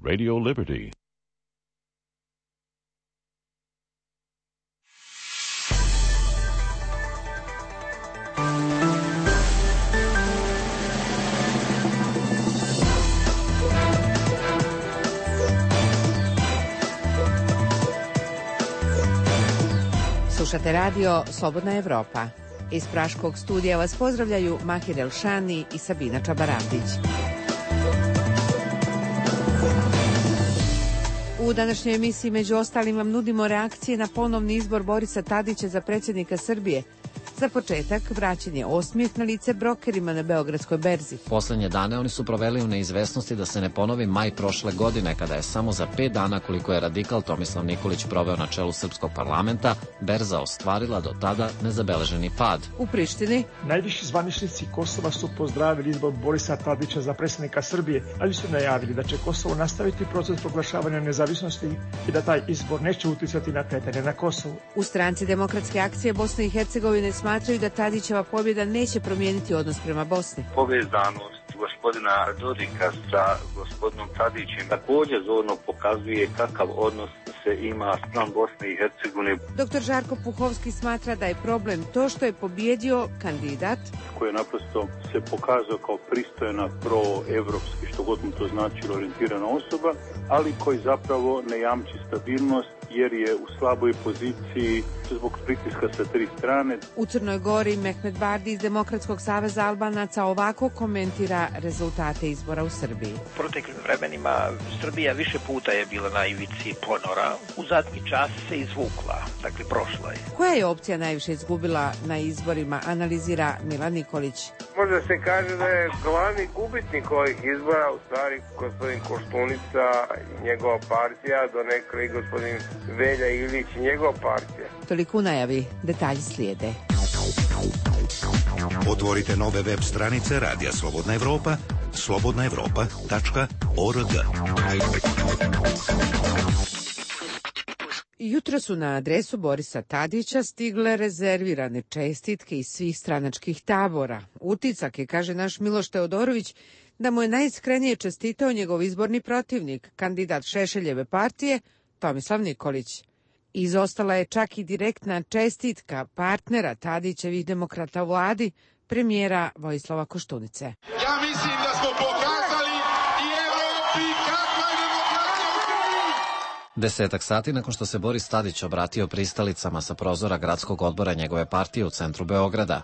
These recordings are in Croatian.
Radio Liberty. Slušate radio Slobodna Evropa. Iz Praškog studija vas pozdravljaju Mahir Elšani i Sabina Čabarandić. U današnjoj emisiji među ostalim vam nudimo reakcije na ponovni izbor Borisa Tadića za predsjednika Srbije. Za početak, vraćen je osmijeh na lice brokerima na Beogradskoj berzi. Poslednje dane oni su proveli u neizvesnosti da se ne ponovi maj prošle godine, kada je samo za 5 dana, koliko je radikal Tomislav Nikolić proveo na čelu srpskog parlamenta, berza ostvarila do tada nezabeleženi pad. U Prištini najviši zvaničnici Kosova su pozdravili izbor Borisa Tadića za predsjednika Srbije, ali su najavili da će Kosovo nastaviti proces proglašavanja nezavisnosti i da taj izbor neće uticati na kretanje na Kosovu. U stranci Demokratske akcije Bosne i Hercegovine smatraju da Tadićeva pobjeda neće promijeniti odnos prema Bosni. Povezanost gospodina Dodika sa gospodinom Tadićem također zorno pokazuje kakav odnos se ima spram Bosne i Hercegovine. Dr. Žarko Puhovski smatra da je problem to što je pobjedio kandidat koji je naprosto se pokazao kao pristojna, proevropski, što god mu to značilo, orijentirana osoba, ali koji zapravo ne jamči stabilnost jer je u slaboj poziciji zbog pritiska sa 3 strane. U Crnoj Gori Mehmet Bardi iz Demokratskog saveza Albanaca ovako komentira rezultate izbora u Srbiji. U proteklim vremenima Srbija više puta je bila na ivici ponora. U zadnji čas se izvukla, dakle prošla je. Koja je opcija najviše izgubila na izborima, analizira Milan Nikolić. Možda se kaže da je glavni gubitnik ovih izbora u stvari gospodin Koštunica i njegova partija, donekle i gospodin Velja Ilić i njegova partija. Toliko u najavi, detalji slijede. Otvorite nove web stranice Radija Slobodna Evropa, slobodnaevropa.org. Jutro su na adresu Borisa Tadića stigle rezervirane čestitke iz svih stranačkih tabora. Utisak je, kaže naš Miloš Teodorović, da mu je najiskrenije čestitao njegov izborni protivnik, kandidat Šešeljeve partije, Tomislav Nikolić. Izostala je čak i direktna čestitka partnera Tadićevih demokrata u vladi, premijera Vojislava Koštunice. Ja mislim da smo pokazali i Evropi kakva je demokratija u Srbiji. 10 sati nakon što se Boris Tadić obratio pristalicama sa prozora gradskog odbora njegove partije u centru Beograda.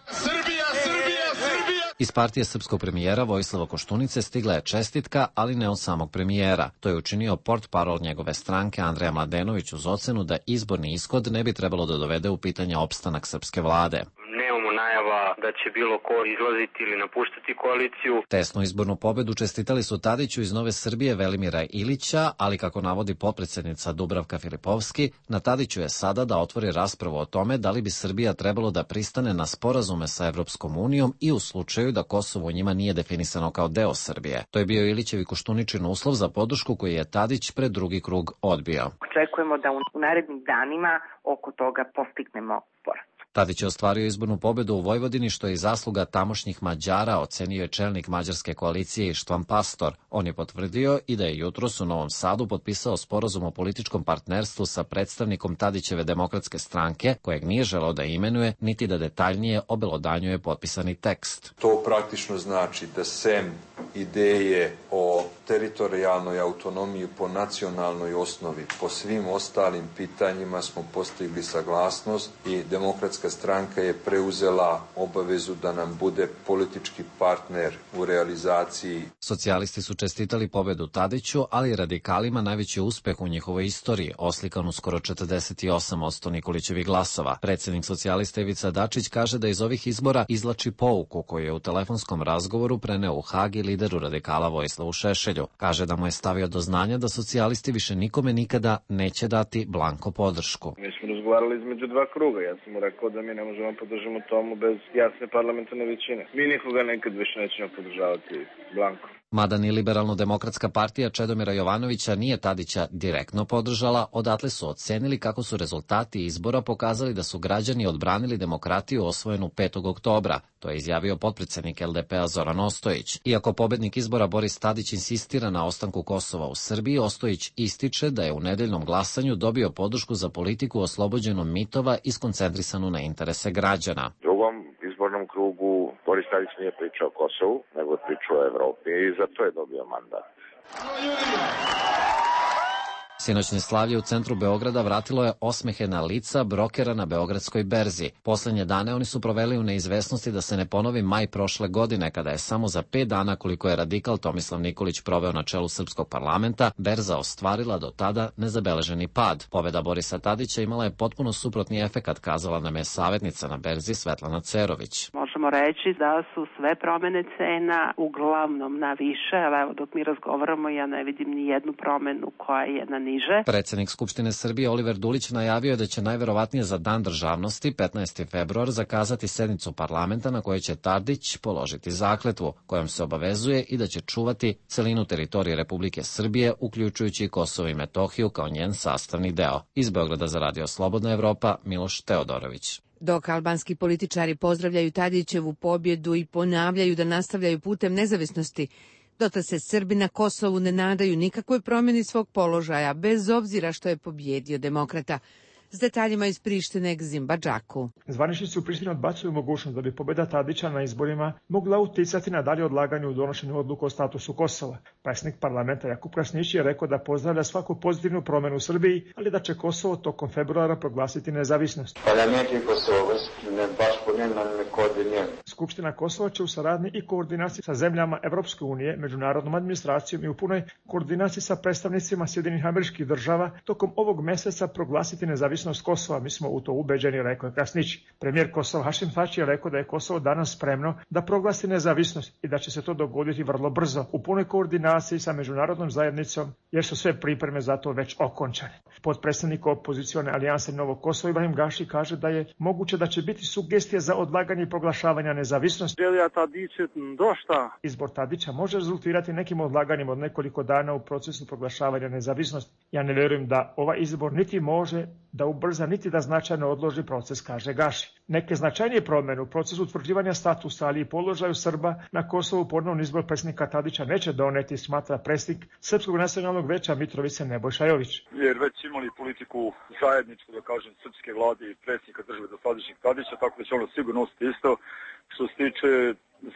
Iz partije srpskog premijera Vojislava Koštunice stigla je čestitka, ali ne od samog premijera. To je učinio portparol njegove stranke Andreja Mladenović uz ocenu da izborni ishod ne bi trebalo da dovede u pitanje opstanak srpske vlade. Nemamo najava da će bilo ko izlaziti ili napuštati koaliciju. Tesnu izbornu pobedu čestitali su Tadiću iz Nove Srbije Velimira Ilića, ali kako navodi potpredsjednica Dubravka Filipovski, na Tadiću je sada da otvori raspravu o tome da li bi Srbija trebalo da pristane na sporazume sa Evropskom unijom i u slučaju da Kosovo u njima nije definisano kao deo Srbije. To je bio Ilićev i Koštuničin uslov za podršku koji je Tadić pred drugi krug odbio. Očekujemo da u narednim danima oko toga postignemo sporazum. Tadić je ostvario izbornu pobedu u Vojvodini, što je i zasluga tamošnjih Mađara, ocenio je čelnik mađarske koalicije Ištvan Pastor. On je potvrdio i da je jutros u Novom Sadu potpisao sporazum o političkom partnerstvu sa predstavnikom Tadićeve demokratske stranke, kojeg nije želeo da imenuje, niti da detaljnije obelodanjuje potpisani tekst. To praktično znači da sem ideje o teritorijalnoj autonomiji po nacionalnoj osnovi, po svim ostalim pitanjima smo postigli saglasnost i Demokratska stranka je preuzela obavezu da nam bude politički partner u realizaciji. Socijalisti su čestitali pobedu Tadiću, ali radikalima najveći uspeh u njihovoj istoriji, oslikan u skoro 48% Nikolićevih glasova. Predsjednik socijalista Ivica Dačić kaže da iz ovih izbora izvlači pouku koju je u telefonskom razgovoru preneo u Hag i lideru radikala Vojislavu Šešelju. Kaže da mu je stavio do znanja da socijalisti više nikome nikada neće dati blanko podršku. Mi smo razgovarali između dva kruga. Ja sam mu rekao da mi ne možemo podržati tomu bez jasne parlamentarne većine. Mi nikoga nekad više nećemo podržavati blanko. Mada ni Liberalno-demokratska partija Čedomira Jovanovića nije Tadića direktno podržala, odatle su ocenili kako su rezultati izbora pokazali da su građani odbranili demokratiju osvojenu 5. oktobra. To je izjavio potpredsednik LDP-a Zoran Ostojić. Iako pobednik izbora Boris Tadić insistira na ostanku Kosova u Srbiji, Ostojić ističe da je u nedeljnom glasanju dobio podršku za politiku oslobođenu mitova i skoncentrisanu na interese građana. U drugom izbornom krugu Boris Tadić nije pričao o Kosovu, nego je pričao o Evropi i zato je dobio mandat. Sinoćne slavlje u centru Beograda vratilo je osmehe na lica brokera na Beogradskoj berzi. Poslednje dane oni su proveli u neizvesnosti da se ne ponovi maj prošle godine, kada je samo za 5 dana, koliko je radikal Tomislav Nikolić proveo na čelu srpskog parlamenta, berza ostvarila do tada nezabeleženi pad. Pobeda Borisa Tadića imala je potpuno suprotni efekat, kazala nam je savjetnica na berzi Svetlana Cerović. Možemo reći da su sve promene cena uglavnom na više, ali evo dok mi razgovaramo ja ne vidim ni jednu promenu koja je na niže. Predsednik Skupštine Srbije Oliver Dulić najavio je da će najverovatnije za Dan državnosti 15. februar zakazati sednicu parlamenta na kojoj će Tadić položiti zakletvu, kojom se obavezuje i da će čuvati celinu teritorije Republike Srbije, uključujući i Kosovo i Metohiju kao njen sastavni deo. Iz Beograda za Radio Slobodna Evropa, Miloš Teodorović. Dok albanski političari pozdravljaju Tadićevu pobjedu i ponavljaju da nastavljaju putem nezavisnosti, dotle se Srbi na Kosovu ne nadaju nikakvoj promjeni svog položaja, bez obzira što je pobjedio demokrata. S detaljima iz Prištine k Zimbadžaku. Zvaničnici u Prištini odbacuju mogućnost da bi pobjeda Tadića na izborima mogla uticati na dalje odlaganje u donošenju odluka o statusu Kosova. Predsjednik parlamenta Jakub Krasnić je rekao da pozdravlja svaku pozitivnu promjenu u Srbiji, ali da će Kosovo tokom februara proglasiti nezavisnost. Skupština Kosova će u saradnji i koordinaciji sa zemljama Evropske unije, međunarodnom administracijom i u punoj koordinaciji sa predstavnicima Sjedinjenih Američkih Država tokom ovog mjeseca proglasiti nezavisnost Kosova. Mi smo u to ubeđeni, rekao je Krasnić. Premijer Kosova Hašim Tači je rekao da je Kosovo danas spremno da proglasi nezavisnost i da će se to dogoditi vrlo brzo u punoj koordinaciji sa međunarodnom zajednicom, jer su sve pripreme za to već okončane. Potpredsjednik opozicione alijanse Novog Kosova Ibrahim Gaši kaže da je moguće da će biti sugestije za odlaganje i proglašavanja nezavisnosti. Izbor Tadića može rezultirati nekim odlaganjem od nekoliko dana u procesu proglašavanja nezavisnosti. Ja ne vjerujem da ovaj izbor niti može da ubrza niti da značajno odloži proces, kaže Gaši. Neke značajnije promjene u procesu utvrđivanja statusa, ali i položaju Srba na Kosovu ponovno izbor predsjednika Tadića neće doneti, smatra predsjednik Srpskog nacionalnog veća Mitrovice Nebojša Jović. Jer već imali politiku zajedničku, da kažem, srpske vlade i predsjednika države dosadašnjeg Tadića, tako da će ono sigurno ostati isto. Što se tiče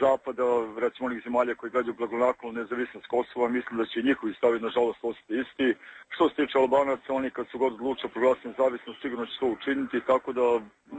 Zapada, recimo onih zemalja koji gledaju blagonaklono nezavisnost Kosova, mislim da će i njihovi stavi nažalost ostati isti. Što se tiče Albanaca, oni kad su god odlučili proglasiti nezavisnost, sigurno će to učiniti, tako da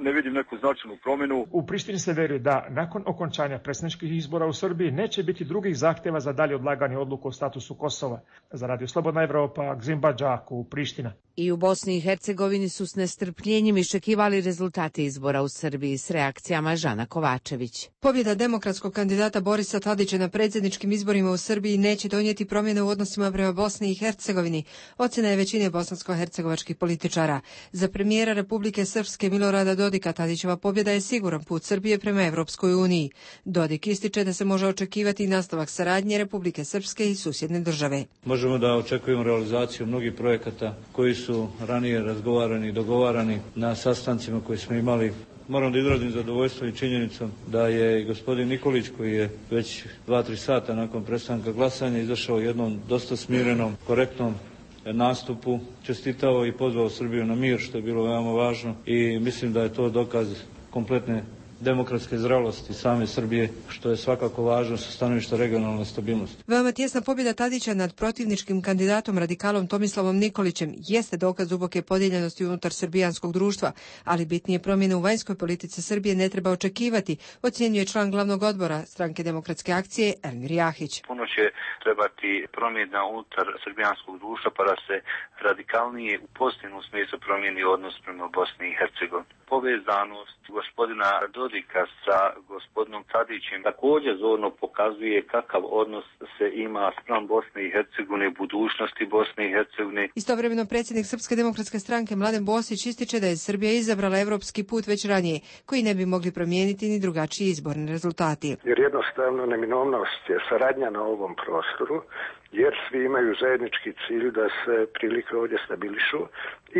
ne vidim neku značajnu promjenu. U Prištini se veruje da nakon okončanja predsjedničkih izbora u Srbiji neće biti drugih zahtjeva za dalje odlaganje odluku o statusu Kosova. Za Radio Slobodna Evropa, k Zimbadžaku, Priština. I u Bosni i Hercegovini su s nestrpljenjem iščekivali rezultate izbora u Srbiji s reakcijama Žana Kovačević. Pobjeda demokratskog kandidata Borisa Tadića na predsjedničkim izborima u Srbiji neće donijeti promjene u odnosima prema Bosni i Hercegovini, ocjena je većine bosansko-hercegovačkih političara. Za premijera Republike Srpske Milorada Dodika Tadićeva pobjeda je siguran put Srbije prema Evropskoj uniji. Dodik ističe da se može očekivati nastavak saradnje Republike Srpske i susjedne države. Možemo da očekujemo realizaciju mnogih projekata koji su ranije razgovarani i dogovarani na sastancima koje smo imali. Moram da izrazim zadovoljstvo i činjenicom da je i gospodin Nikolić, koji je već 2-3 sata nakon prestanka glasanja izašao jednom dosta smirenom, korektnom nastupu, čestitao i pozvao Srbiju na mir, što je bilo veoma važno, i mislim da je to dokaz kompletne demokratske zrelosti same Srbije, što je svakako važno sa stanovišta regionalne stabilnosti. Veoma tjesna pobjeda Tadića nad protivničkim kandidatom radikalom Tomislavom Nikolićem jeste dokaz duboke podijeljenosti unutar srbijanskog društva, ali bitnije promjene u vanjskoj politici Srbije ne treba očekivati, ocjenjuje član glavnog odbora Stranke demokratske akcije Elmir Jahić. Puno će trebati promjena unutar srbijanskog društva pa da se radikalnije u pozitivnom smislu promijeni odnos prema Bosni i Hercegovini. povezanost gospodina Dodika sa gospodinom Tadićem također zorno pokazuje kakav odnos se ima spram Bosne i Hercegovine, budućnosti Bosne i Hercegovine. Istovremeno predsjednik Srpske demokratske stranke Mladen Bosić ističe da je Srbija izabrala evropski put već ranije, koji ne bi mogli promijeniti ni drugačiji izborni rezultati. Jer jednostavno neminovnost je saradnja na ovom prostoru, jer svi imaju zajednički cilj da se prilike ovdje stabilišu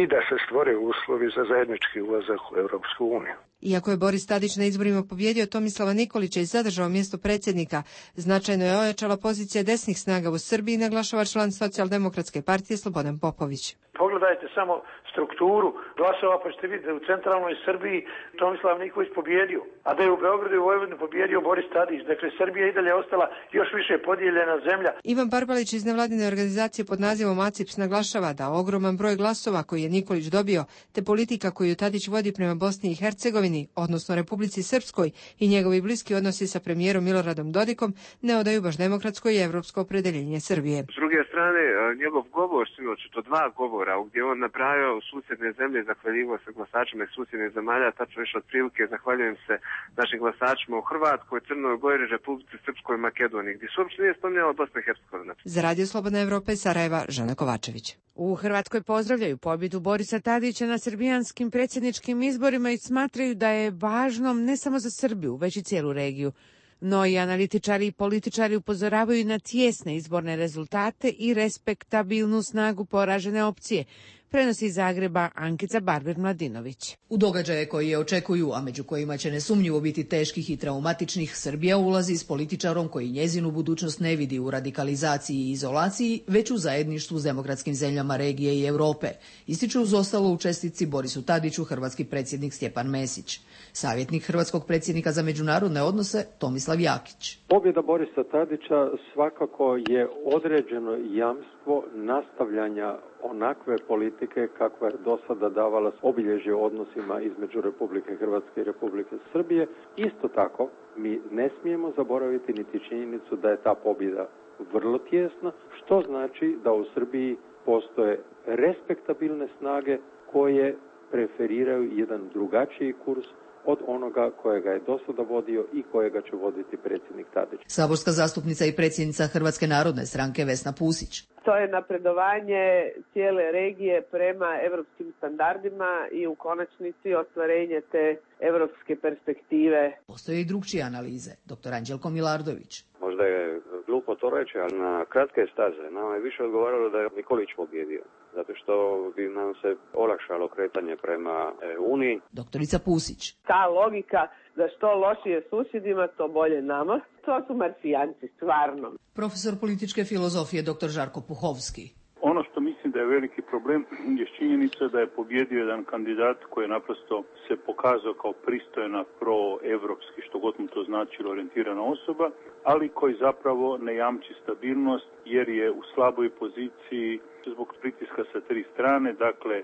i da se stvore uslovi za zajednički ulazak u Europsku uniju. Iako je Boris Tadić na izborima pobjedio Tomislava Nikolića i zadržao mjesto predsjednika, značajno je ojačala pozicija desnih snaga u Srbiji, naglašava član Socijaldemokratske partije Slobodan Popović. Pogledajte samo strukturu glasova, pa ćete vidjeti da u centralnoj Srbiji Tomislav Nikolić pobjedio, a da je u Beogradu i Vojvodini pobjedio Boris Tadić. Dakle, Srbija i dalje ostala još više podijeljena zemlja. Ivan Barbalić iz nevladine organizacije pod nazivom ACIPS naglašava da ogroman broj glasova koji je Nikolić dobio, te politika koju Tadić vodi prema Bosni i Hercegovini, odnosno Republici Srpskoj, i njegovi bliski odnosi sa premijerom Miloradom Dodikom ne odaju baš demokratsko i evropsko opredeljenje Srbije. S druge strane, njegov govor sinoć, to 2 govora, gdje on napravio susjedne zemlje, zahvaljivo se glasačima iz susjednih zemalja, tačno više otprilike zahvaljujem se našim glasačima u Hrvatskoj, Crnoj Gori, Republici Srpskoj i Makedoniji, gdje se uopšte nije spominjala Bosna i Hercegovina. Za Radio Slobodna Evropa iz Sarajeva, Žana Kovačević. U Hrvatskoj pozdravljaju pobjedu Borisa Tadića na srbijanskim predsjedničkim izborima i smatraju da je važno ne samo za Srbiju, već i cijelu regiju. No i analitičari i političari upozoravaju na tijesne izborne rezultate i respektabilnu snagu poražene opcije. Prenosi iz Zagreba Ankica Barber-Mladinović. U događaje koji je očekuju, a među kojima će nesumnjivo biti teških i traumatičnih, Srbija ulazi s političarom koji njezinu budućnost ne vidi u radikalizaciji i izolaciji, već u zajedništvu s demokratskim zemljama regije i Europe, ističu uz ostalo u čestitci Borisu Tadiću hrvatski predsjednik Stjepan Mesić. Savjetnik hrvatskog predsjednika za međunarodne odnose Tomislav Jakić. Pobjeda Borisa Tadića svakako je određeno jamstvo nastavljanja onakve politike kakva je do sada davala obilježje odnosima između Republike Hrvatske i Republike Srbije. Isto tako, mi ne smijemo zaboraviti niti činjenicu da je ta pobjeda vrlo tjesna, što znači da u Srbiji postoje respektabilne snage koje preferiraju jedan drugačiji kurs od onoga kojega je do sada vodio i kojega će voditi predsjednik Tadić. Saborska zastupnica i predsjednica Hrvatske narodne stranke Vesna Pusić. To je napredovanje cijele regije prema evropskim standardima i u konačnici ostvarenje te evropske perspektive. Postoje i drugčije analize. Dr. Anđelko Milardović. Možda je glupo to reći, ali na kratke staze nama je više odgovaralo da je Nikolić pobjedio, zato što bi nam se olakšalo kretanje prema Uniji. Doktorica Pusić. Ta logika da što lošije susjedima, to bolje nama, to su marsijanci, stvarno. Profesor političke filozofije dr. Žarko Puhovski. Ono što mislim da je veliki problem je činjenica da je pobjedio jedan kandidat koji je naprosto se pokazao kao pristojna proevropski, što god mu to značilo, orijentirana osoba, ali koji zapravo ne jamči stabilnost jer je u slaboj poziciji zbog pritiska sa 3 strane, dakle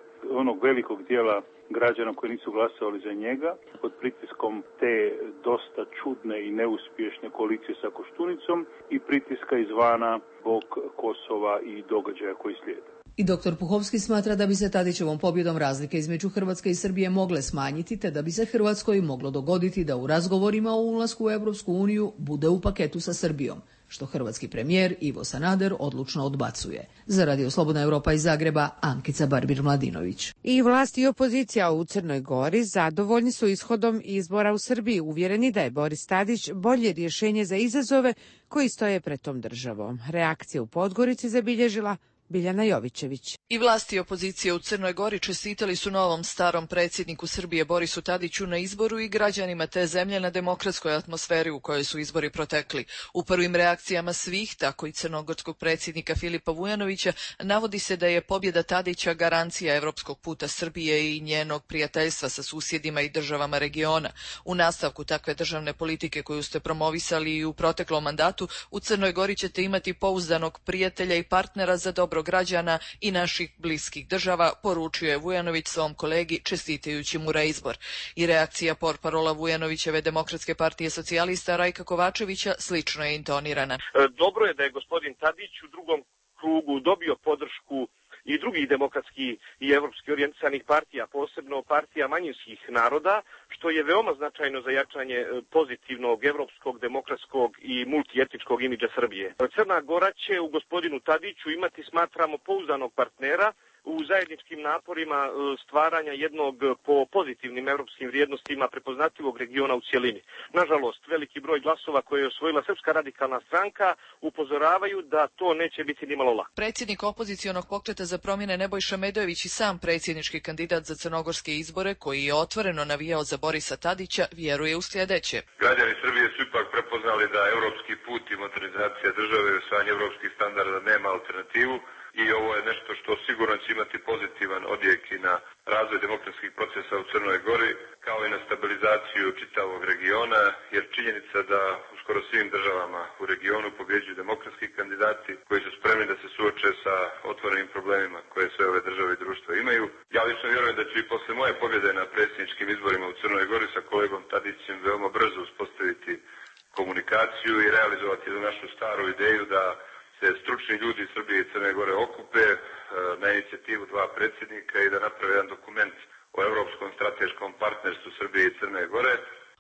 onog velikog dijela građana koji nisu glasovali za njega, pod pritiskom te dosta čudne i neuspješne koalicije sa Koštunicom i pritiska izvana zbog Kosova i događaja koji slijede. I dr. Puhovski smatra da bi se Tadićevom pobjedom razlike između Hrvatske i Srbije mogle smanjiti, te da bi se Hrvatskoj moglo dogoditi da u razgovorima o ulasku u Europsku uniju bude u paketu sa Srbijom, što hrvatski premijer Ivo Sanader odlučno odbacuje. Za Radio Slobodna Evropa iz Zagreba, Ankica Barbir-Mladinović. I vlast i opozicija u Crnoj Gori zadovoljni su ishodom izbora u Srbiji, uvjereni da je Boris Tadić bolje rješenje za izazove koji stoje pred tom državom. Reakcija u Podgorici zabilježila Biljana Jovićević. I vlasti i opozicije u Crnoj Gori čestitali su novom starom predsjedniku Srbije Borisu Tadiću na izboru i građanima te zemlje na demokratskoj atmosferi u kojoj su izbori protekli. U prvim reakcijama svih, tako i crnogorskog predsjednika Filipa Vujanovića, navodi se da je pobjeda Tadića garancija evropskog puta Srbije i njenog prijateljstva sa susjedima i državama regiona. U nastavku takve državne politike koju ste promovisali i u proteklom mandatu, u Crnoj Gori ćete imati pouzdanog prijatelja i partnera za dobro građana i naših bliskih država, poručio je Vujanović svom kolegi čestitajući mu reizbor. I reakcija portparola Vujanovićeve Demokratske partije socijalista Rajka Kovačevića slično je intonirana. Dobro je da je gospodin Tadić u drugom krugu dobio podršku i drugih demokratskih i i evropski orijentisanih partija, posebno partija manjinskih naroda, što je veoma značajno za jačanje pozitivnog, evropskog, demokratskog i multietničkog imidža Srbije. Crna Gora će u gospodinu Tadiću imati, smatramo, pouzdanog partnera u zajedničkim naporima stvaranja jednog po pozitivnim evropskim vrijednostima prepoznatljivog regiona u cjelini. Nažalost, veliki broj glasova koje je osvojila Srpska radikalna stranka upozoravaju da to neće biti nimalo lako. Predsjednik opozicionog pokreta za promjene Nebojša Medojević i sam predsjednički kandidat za crnogorske izbore, koji je otvoreno navijao za Borisa Tadića, vjeruje u sljedeće. Građani Srbije su ipak prepoznali da evropski put i modernizacija države i usvajanje evropskih standarda nema alternativu. I ovo je nešto što sigurno će imati pozitivan odjek i na razvoj demokratskih procesa u Crnoj Gori, kao i na stabilizaciju čitavog regiona, jer činjenica da u skoro svim državama u regionu pobjeđuju demokratski kandidati koji su spremni da se suoče sa otvorenim problemima koje sve ove države i društva imaju. Ja lično vjerujem da ću i posle moje pobjede na predsjedničkim izborima u Crnoj Gori sa kolegom Tadićem veoma brzo uspostaviti komunikaciju i realizovati jednu našu staru ideju da se stručni ljudi iz Srbije i Crne Gore okupe na inicijativu dva predsjednika i da naprave jedan dokument o evropskom strateškom partnerstvu Srbije i Crne Gore.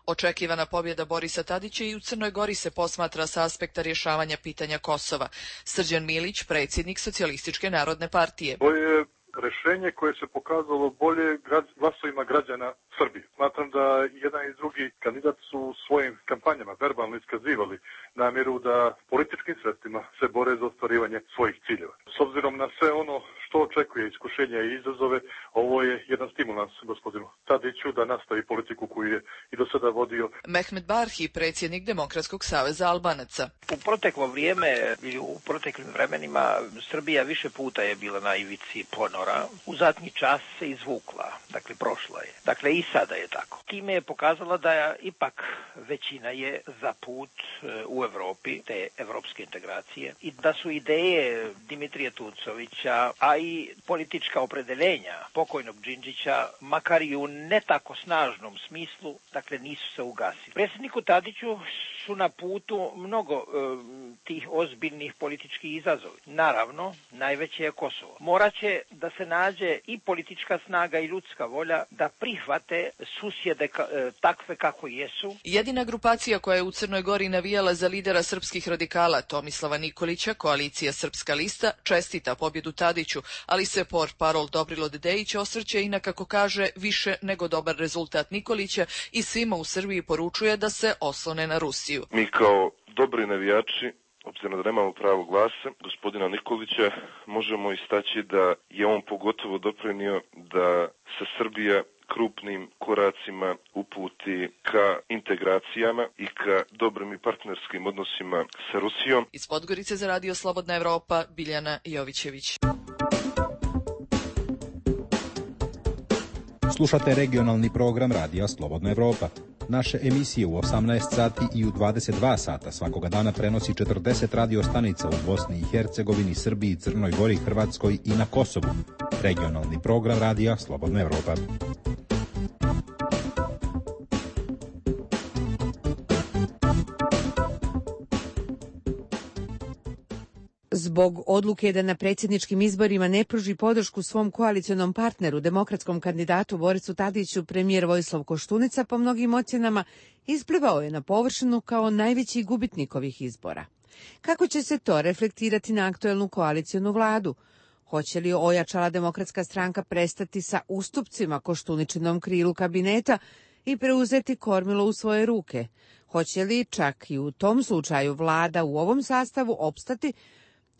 Očekivana pobjeda Borisa Tadića i u Crnoj Gori se posmatra sa aspekta rješavanja pitanja Kosova. Srđan Milić, predsjednik Socijalističke narodne partije. To je rešenje koje se pokazalo bolje glasovima građana Srbije. Smatram da jedan i drugi kandidat su u svojim kampanjama verbalno iskazivali namjeru da političkim sredstvima se bore za ostvarivanje svojih ciljeva. S obzirom na sve ono što očekuje iskušenja i izazove, ovo je jedan stimulans gospodinu Tadiću da nastavi politiku koju je i do sada vodio. Mehmet Barhi, predsjednik Demokratskog saveza Albanaca. U proteklo vrijeme ili u proteklim vremenima Srbija više puta je bila na ivici ponora. U zadnji čas se izvukla, dakle prošla je. Dakle i sada je tako. Time je pokazala da ipak većina je za put u Evropi, te evropske integracije, i da su ideje Dimitrija Tucovića, a i politička opredeljenja pokojnog Đinđića, makar i u ne tako snažnom smislu, dakle nisu se ugasili. Predsjedniku Tadiću su na putu mnogo tih ozbiljnih političkih izazova. Naravno, najveće je Kosovo. Moraće da se nađe i politička snaga i ljudska volja da prihvate susjede takve kako jesu. Jedina grupacija koja je u Crnoj Gori navijala za lidera srpskih radikala Tomislava Nikolića, koalicija Srpska lista, čestita pobjedu Tadiću, ali se portparol Dobrilo Dedejić osvrće i na, kako kaže, više nego dobar rezultat Nikolića i svima u Srbiji poručuje da se oslone na Rusiju. Mi kao dobri navijači, obzirom da nemamo pravo glasa, gospodina Nikolića, možemo istaći da je on pogotovo doprinio da se Srbija krupnim koracima uputi ka integracijama i ka dobrim i partnerskim odnosima sa Rusijom. Iz Podgorice za Radio Slobodna Evropa, Biljana Jovićević. Slušate regionalni program Radija Slobodna Evropa. Naše emisije u 18 sati i u 22 sata svakoga dana prenosi 40 radio stanica u Bosni i Hercegovini, Srbiji, Crnoj Gori, Hrvatskoj i na Kosovu. Regionalni program Radija Slobodna Evropa. Zbog odluke da na predsjedničkim izborima ne pruži podršku svom koalicionom partneru, demokratskom kandidatu Borisu Tadiću, premijer Vojislav Koštunica po mnogim ocjenama isplivao je na površinu kao najveći gubitnik ovih izbora. Kako će se to reflektirati na aktuelnu koalicionu vladu? Hoće li ojačala demokratska stranka prestati sa ustupcima Koštuničinom krilu kabineta i preuzeti kormilo u svoje ruke? Hoće li čak i u tom slučaju vlada u ovom sastavu opstati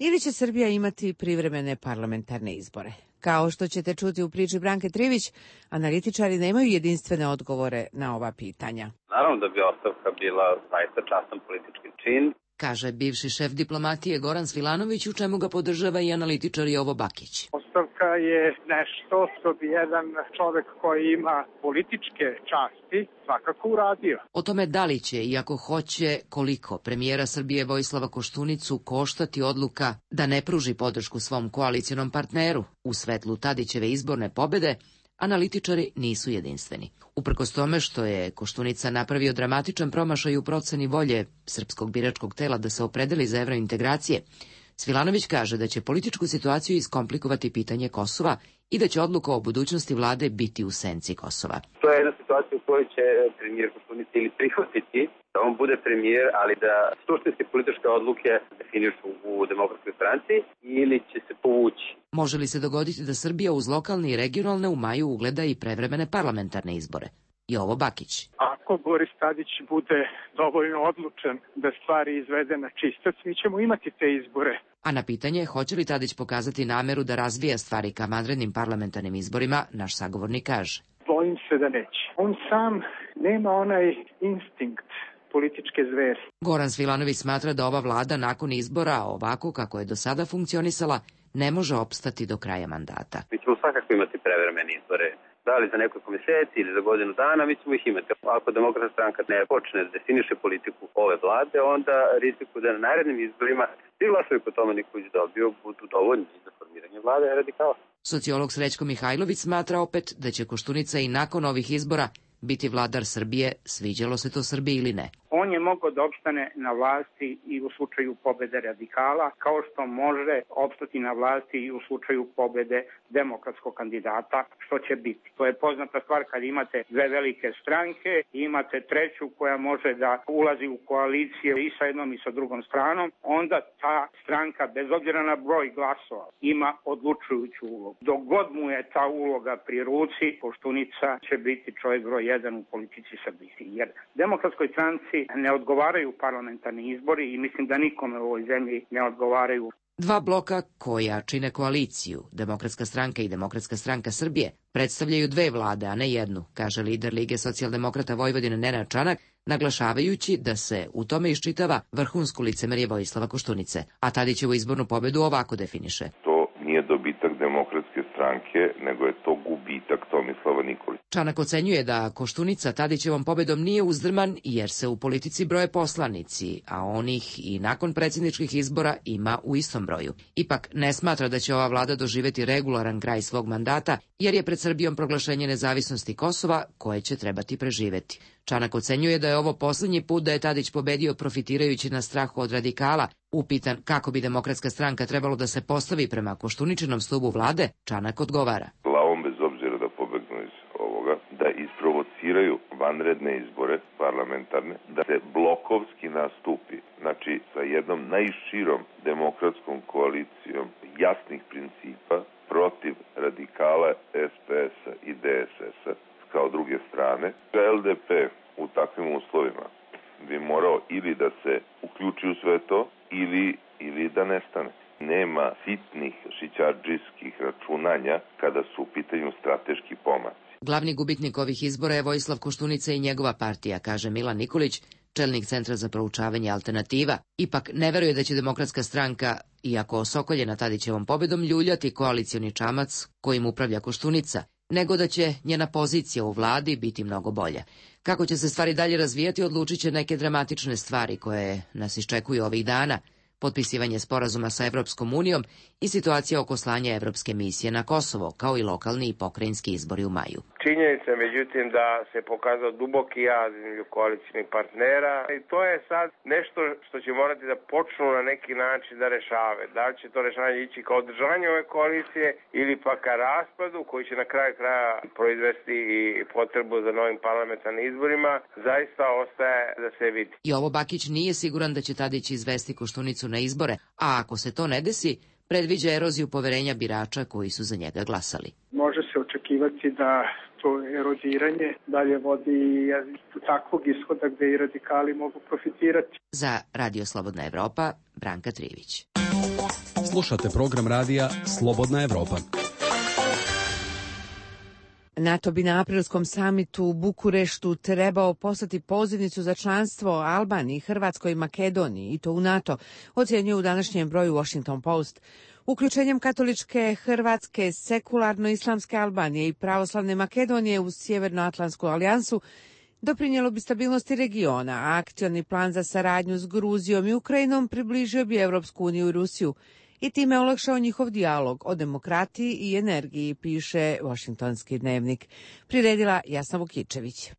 ili će Srbija imati privremene parlamentarne izbore? Kao što ćete čuti u priči Branke Trivić, analitičari nemaju jedinstvene odgovore na ova pitanja. Naravno da bi ostavka bila zaista častan politički čin, kaže bivši šef diplomatije Goran Svilanović, u čemu ga podržava i analitičar Jovo Bakić. Ostavka je nešto što bi jedan čovek koji ima političke časti svakako uradio. O tome da li će, i ako hoće, koliko premijera Srbije Vojislava Koštunicu koštati odluka da ne pruži podršku svom koalicionom partneru u svetlu Tadićeve izborne pobede, analitičari nisu jedinstveni. Uprkos tome što je Koštunica napravio dramatičan promašaj u proceni volje srpskog biračkog tela da se opredeli za evrointegracije, Svilanović kaže da će političku situaciju iskomplikovati pitanje Kosova i da će odluka o budućnosti vlade biti u senci Kosova. To je jedna situacija u kojoj će premijer Koštunica ili prihvatiti da on bude premijer, ali da suštinske političke odluke definišu u Demokratskoj stranci ili će se povući. Može li se dogoditi da Srbija uz lokalne i regionalne u maju ugleda i prevremene parlamentarne izbore? Jovo Bakić. Ako Boris Tadić bude dovoljno odlučan da stvari izvede na čistac, mi ćemo imati te izbore. A na pitanje hoće li Tadić pokazati nameru da razvija stvari ka vanrednim parlamentarnim izborima, naš sagovornik kaže. Bojim se da neće. On sam nema onaj instinkt političke zveri. Goran Svilanović smatra da ova vlada nakon izbora, ovako kako je do sada funkcionisala, ne može opstati do kraja mandata. Mi ćemo svakako imati prevremene izbore. Da li za nekoliko mjeseci ili za godinu dana, mi ćemo ih imati. Ako Demokratska stranka ne počne da definiše politiku ove vlade, onda riziku da na narednim izborima svi glasovi po tome Nikolić dobio budu dovoljni za formiranje vlade radikala. Sociolog Srećko Mihajlović smatra opet da će Koštunica i nakon ovih izbora biti vladar Srbije, sviđalo se to Srbiji ili ne. On je mogao da opstane na vlasti i u slučaju pobede radikala, kao što može opstati na vlasti i u slučaju pobede demokratskog kandidata, što će biti. To je poznata stvar kad imate dve velike stranke, imate treću koja može da ulazi u koalicije i sa jednom i sa drugom stranom, onda ta stranka, bez obzira na broj glasova, ima odlučujuću ulogu. Dok god mu je ta uloga pri ruci, Koštunica će biti čovjek broj 1 u politici Srbije. Jer Demokratskoj stranci ne odgovaraju parlamentarni izbori i mislim da nikome u ovoj zemlji ne odgovaraju. Dva bloka koja čine koaliciju, Demokratska stranka i Demokratska stranka Srbije, predstavljaju dve vlade, a ne jednu, kaže lider Lige socijaldemokrata Vojvodine Nenad Čanak, naglašavajući da se u tome iščitava vrhunsko licemerje Vojislava Koštunice, a Tadićevu izbornu pobedu ovako definiše. To nije dobitak Demokratske stranke, nego je to gubitak Tomislava Nikolića. Čanak ocenjuje da Koštunica Tadićevom pobedom nije uzdrman jer se u politici broje poslanici, a onih i nakon predsjedničkih izbora ima u istom broju. Ipak ne smatra da će ova vlada doživjeti regularan kraj svog mandata jer je pred Srbijom proglašenje nezavisnosti Kosova koje će trebati preživeti. Čanak ocenjuje da je ovo posljednji put da je Tadić pobedio profitirajući na strahu od radikala. Upitan kako bi Demokratska stranka trebalo da se postavi prema Koštuničinom stubu vlade, Čanak odgovara. Glavom bez obzira da pobegnu iz ovoga, da isprovociraju vanredne izbore parlamentarne, da se blokovski nastupi, znači sa jednom najširom demokratskom koalicijom jasnih principa protiv radikala SPS-a i DSS-a kao druge strane. LDP u takvim uslovima bi morao ili da se uključi u sve to ili da nestane. Nema sitnih šićardžijskih računanja kada su u pitanju strateški pomaci. Glavni gubitnik ovih izbora je Vojislav Koštunica i njegova partija, kaže Milan Nikolić, čelnik Centra za proučavanje alternativa. Ipak ne veruje da će Demokratska stranka, iako osokoljena Tadićevom pobedom, ljuljati koalicioni čamac kojim upravlja Koštunica, nego da će njena pozicija u vladi biti mnogo bolja. Kako će se stvari dalje razvijati, odlučit će neke dramatične stvari koje nas iščekuju ovih dana, potpisivanje sporazuma sa Evropskom unijom i situacija oko slanja evropske misije na Kosovo, kao i lokalni i pokrajinski izbori u maju. Činjenica, međutim, da se pokazao duboki jaz između koalicijnih partnera i to je sad nešto što će morati da počnu na neki način da rešave. Da li će to rešavanje ići kao održanje ove koalicije ili pa ka raspadu koji će na kraju kraja proizvesti i potrebu za novim parlamentarnim izborima, zaista ostaje da se vidi. Jovo Bakić nije siguran da će Tadić izvesti Koštunicu na izbore, a ako se to ne desi, predviđa eroziju poverenja birača koji su za njega glasali. Može se očekivati da to erodiranje dalje vodi do takvog ishoda gde i radikali mogu profitirati. Za Radio Slobodna Evropa, Branka Trivić. Slušate program radija Slobodna Evropa. NATO bi na aprilskom samitu u Bukureštu trebao poslati pozivnicu za članstvo Albaniji, Hrvatskoj i Makedoniji, i to u NATO, ocjenjuje u današnjem broju Washington Post. Uključenjem katoličke Hrvatske, sekularno-islamske Albanije i pravoslavne Makedonije u Sjevernoatlantsku alijansu doprinijelo bi stabilnosti regiona, a akcioni plan za saradnju s Gruzijom i Ukrajinom približio bi Evropsku uniju i Rusiju i time olakšao njihov dijalog o demokratiji i energiji, piše Washingtonski dnevnik. Priredila Jasna Vukičević.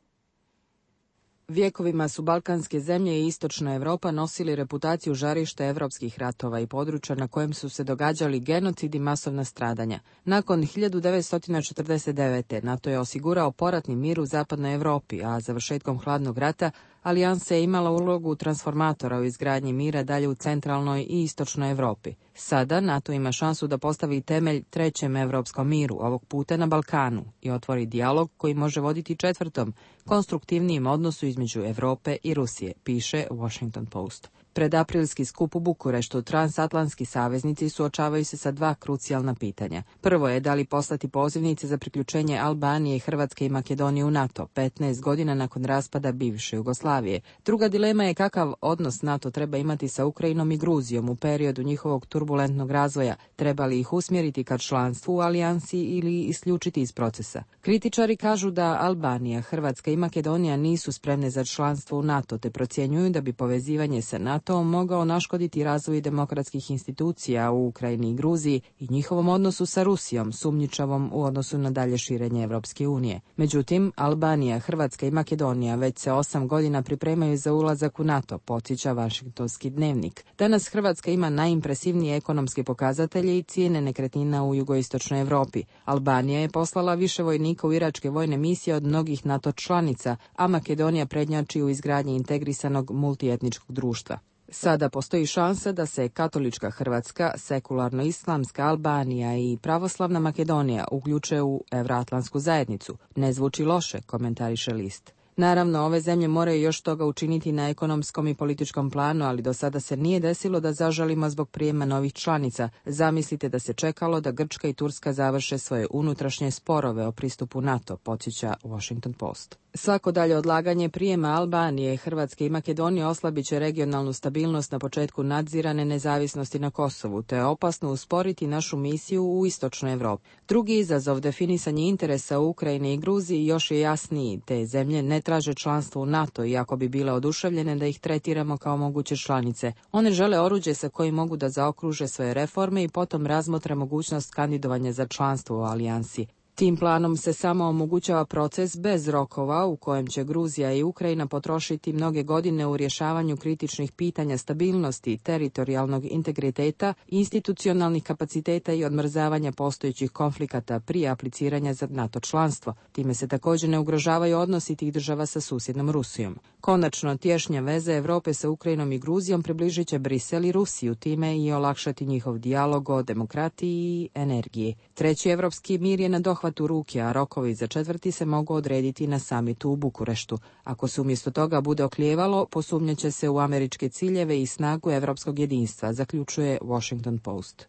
Vjekovima su balkanske zemlje i istočna Europa nosili reputaciju žarišta evropskih ratova i područja na kojem su se događali genocid i masovna stradanja. Nakon 1949. NATO je osigurao poratni mir u zapadnoj Europi, a završetkom hladnog rata Alijansa je imala ulogu transformatora u izgradnji mira dalje u centralnoj i istočnoj Europi. Sada NATO ima šansu da postavi temelj trećem evropskom miru, ovog puta na Balkanu, i otvori dijalog koji može voditi četvrtom, konstruktivnijem odnosu između Europe i Rusije, piše Washington Post. Pred aprilski skup u Bukureštu transatlantski saveznici suočavaju se sa dva krucijalna pitanja. Prvo je da li poslati pozivnice za priključenje Albanije, Hrvatske i Makedonije u NATO, 15 godina nakon raspada bivše Jugoslavije. Druga dilema je kakav odnos NATO treba imati sa Ukrajinom i Gruzijom u periodu njihovog turbulentnog razvoja, treba li ih usmjeriti ka članstvu u alijansi ili isključiti iz procesa. Kritičari kažu da Albanija, Hrvatska i Makedonija nisu spremne za članstvo u NATO, te procjenjuju da bi povezivanje sa NATO mogao naškoditi razvoju demokratskih institucija u Ukrajini i Gruziji i njihovom odnosu sa Rusijom, sumnjičavom u odnosu na dalje širenje Evropske unije. Međutim, Albanija, Hrvatska i Makedonija već se 8 godina pripremaju za ulazak u NATO, podsjeća Vašingtonski dnevnik. Danas Hrvatska ima najimpresivnije ekonomske pokazatelje i cijene nekretnina u jugoistočnoj Europi. Albanija je poslala više vojnika u iračke vojne misije od mnogih NATO članica, a Makedonija prednjači u izgradnji integrisanog multietničkog društva. Sada postoji šansa da se katolička Hrvatska, sekularno-islamska Albanija i pravoslavna Makedonija uključe u evroatlantsku zajednicu. Ne zvuči loše, komentariše list. Naravno, ove zemlje moraju još toga učiniti na ekonomskom i političkom planu, ali do sada se nije desilo da zažalimo zbog prijema novih članica. Zamislite da se čekalo da Grčka i Turska završe svoje unutrašnje sporove o pristupu NATO, podsjeća Washington Post. Svako dalje odlaganje prijema Albanije, Hrvatske i Makedonije oslabit će regionalnu stabilnost na početku nadzirane nezavisnosti na Kosovu, te je opasno usporiti našu misiju u istočnoj Evropi. Drugi izazov, definisanje interesa u Ukrajini i Gruziji, još je jasniji. Te zemlje ne traže članstvo u NATO, iako bi bile oduševljene da ih tretiramo kao moguće članice. One žele oruđe sa kojim mogu da zaokruže svoje reforme i potom razmotre mogućnost kandidovanja za članstvo u alijansi. Tim planom se samo omogućava proces bez rokova u kojem će Gruzija i Ukrajina potrošiti mnoge godine u rješavanju kritičnih pitanja stabilnosti, teritorijalnog integriteta, institucionalnih kapaciteta i odmrzavanja postojećih konflikata prije apliciranja za NATO članstvo. Time se također ne ugrožavaju odnosi tih država sa susjednom Rusijom. Konačno, tješnja veza Europe sa Ukrajinom i Gruzijom približit će Brisel i Rusiju, time i olakšati njihov dijalog o demokratiji i energiji. Treći evropski mir je na dohvatu ruke, a rokovi za četvrti se mogu odrediti na samitu u Bukureštu. Ako se umjesto toga bude oklijevalo, posumnjaće se u američke ciljeve i snagu evropskog jedinstva, zaključuje Washington Post.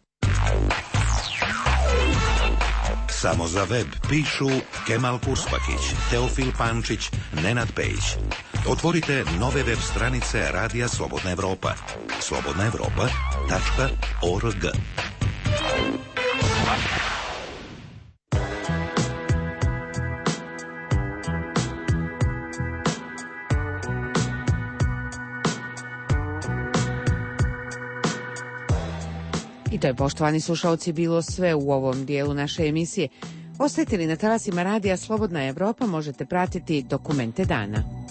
Samo za web pišu Kemal Kurspakić, Teofil Pančić, Nenad Pejić. Otvorite nove web stranice Radija Slobodna Evropa. slobodnaevropa.org. I to je, poštovani slušalci, bilo sve u ovom dijelu naše emisije. Ostajte li na talasima Radija Slobodna Evropa, možete pratiti Dokumente dana.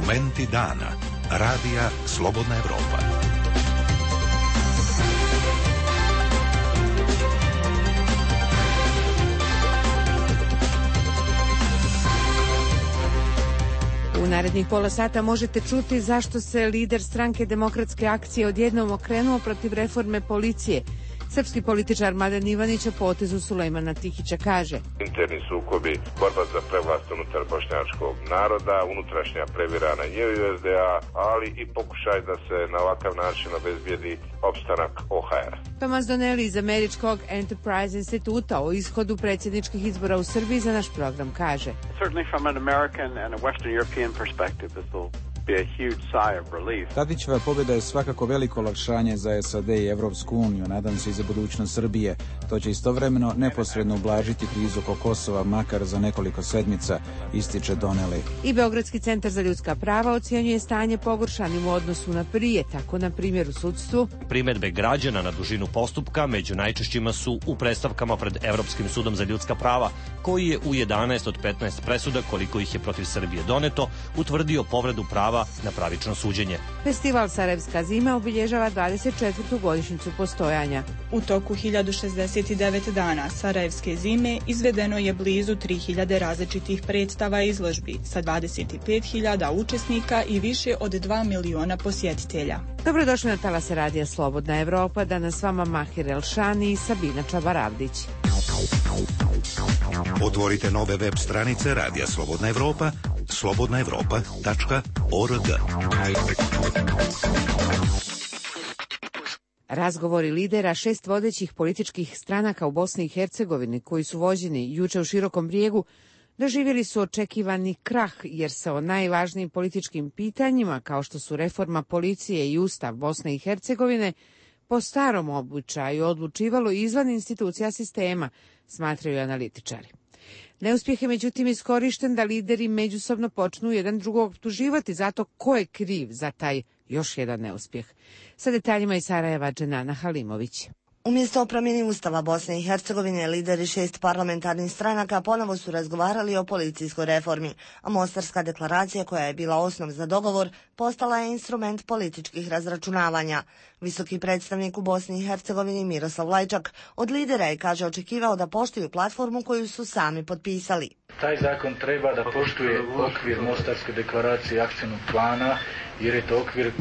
Momenti dana. Radija Slobodna Evropa. U narednih pola sata možete čuti zašto se lider stranke Demokratske akcije odjednom okrenuo protiv reforme policije. Srpski političar Mladen Ivanić o potezu Sulejmana Tihića kaže: Interni sukobi, borba za prevlast unutar bošnjačkog naroda, unutrašnja previra na njevi SDA, ali i pokušaj da se na ovakav način obezbijedi opstanak OHR. Tomas Donnelly iz američkog Enterprise instituta o ishodu predsjedničkih izbora u Srbiji za naš program kaže: Certainly from an American and a Western European perspective, this will be a huge sigh of relief. Tadićeva pobjeda je svakako veliko olakšanje za SAD i Evropsku uniju, nadam se i za budućnost Srbije. To će istovremeno neposredno ublažiti krizu oko Kosova, makar za nekoliko sedmica, ističe Donnelly. I Beogradski centar za ljudska prava ocjenjuje stanje pogoršanim u odnosu na prije, tako na primjer u sudstvu. Primjedbe građana na dužinu postupka među najčešćima su u predstavkama pred Evropskim sudom za ljudska prava, koji je u 11 od 15 presuda, koliko ih je protiv Srbije doneto, utvrdio povredu prava na pravično suđenje. Festival Sarajevska zima obilježava 24. godišnjicu postojanja. U toku 1069 dana Sarajevske zime izvedeno je blizu 3000 različitih predstava i izložbi sa 25.000 učesnika i više od 2 miliona posjetitelja. Dobrodošli na talase Radija Slobodna Evropa, danas s vama Mahir Elšani i Sabina Čabaravdić. Otvorite nove web stranice Radija Slobodna Evropa, slobodnaevropa.org. Razgovori lidera 6 vodećih političkih stranaka u Bosni i Hercegovini, koji su vođeni juče u Širokom Brijegu, doživjeli su očekivani krah, jer se o najvažnijim političkim pitanjima, kao što su reforma policije i Ustav Bosne i Hercegovine, po starom običaju odlučivalo izvan institucija sistema, smatraju analitičari. Neuspjeh je međutim iskorišten da lideri međusobno počnu jedan drugog optuživati zato ko je kriv za taj još jedan neuspjeh. Sa detaljima iz Sarajeva Dženana Halimović. Umjesto o promjeni Ustava Bosne i Hercegovine, lideri 6 parlamentarnih stranaka ponovo su razgovarali o policijskoj reformi, a Mostarska deklaracija, koja je bila osnov za dogovor, postala je instrument političkih razračunavanja. Visoki predstavnik u Bosni i Hercegovini Miroslav Lajčak od lidera je, kaže, očekivao da poštuju platformu koju su sami potpisali. Taj zakon treba da poštuje okvir Mostarske deklaracije i akcijnog plana, jer je to okvir,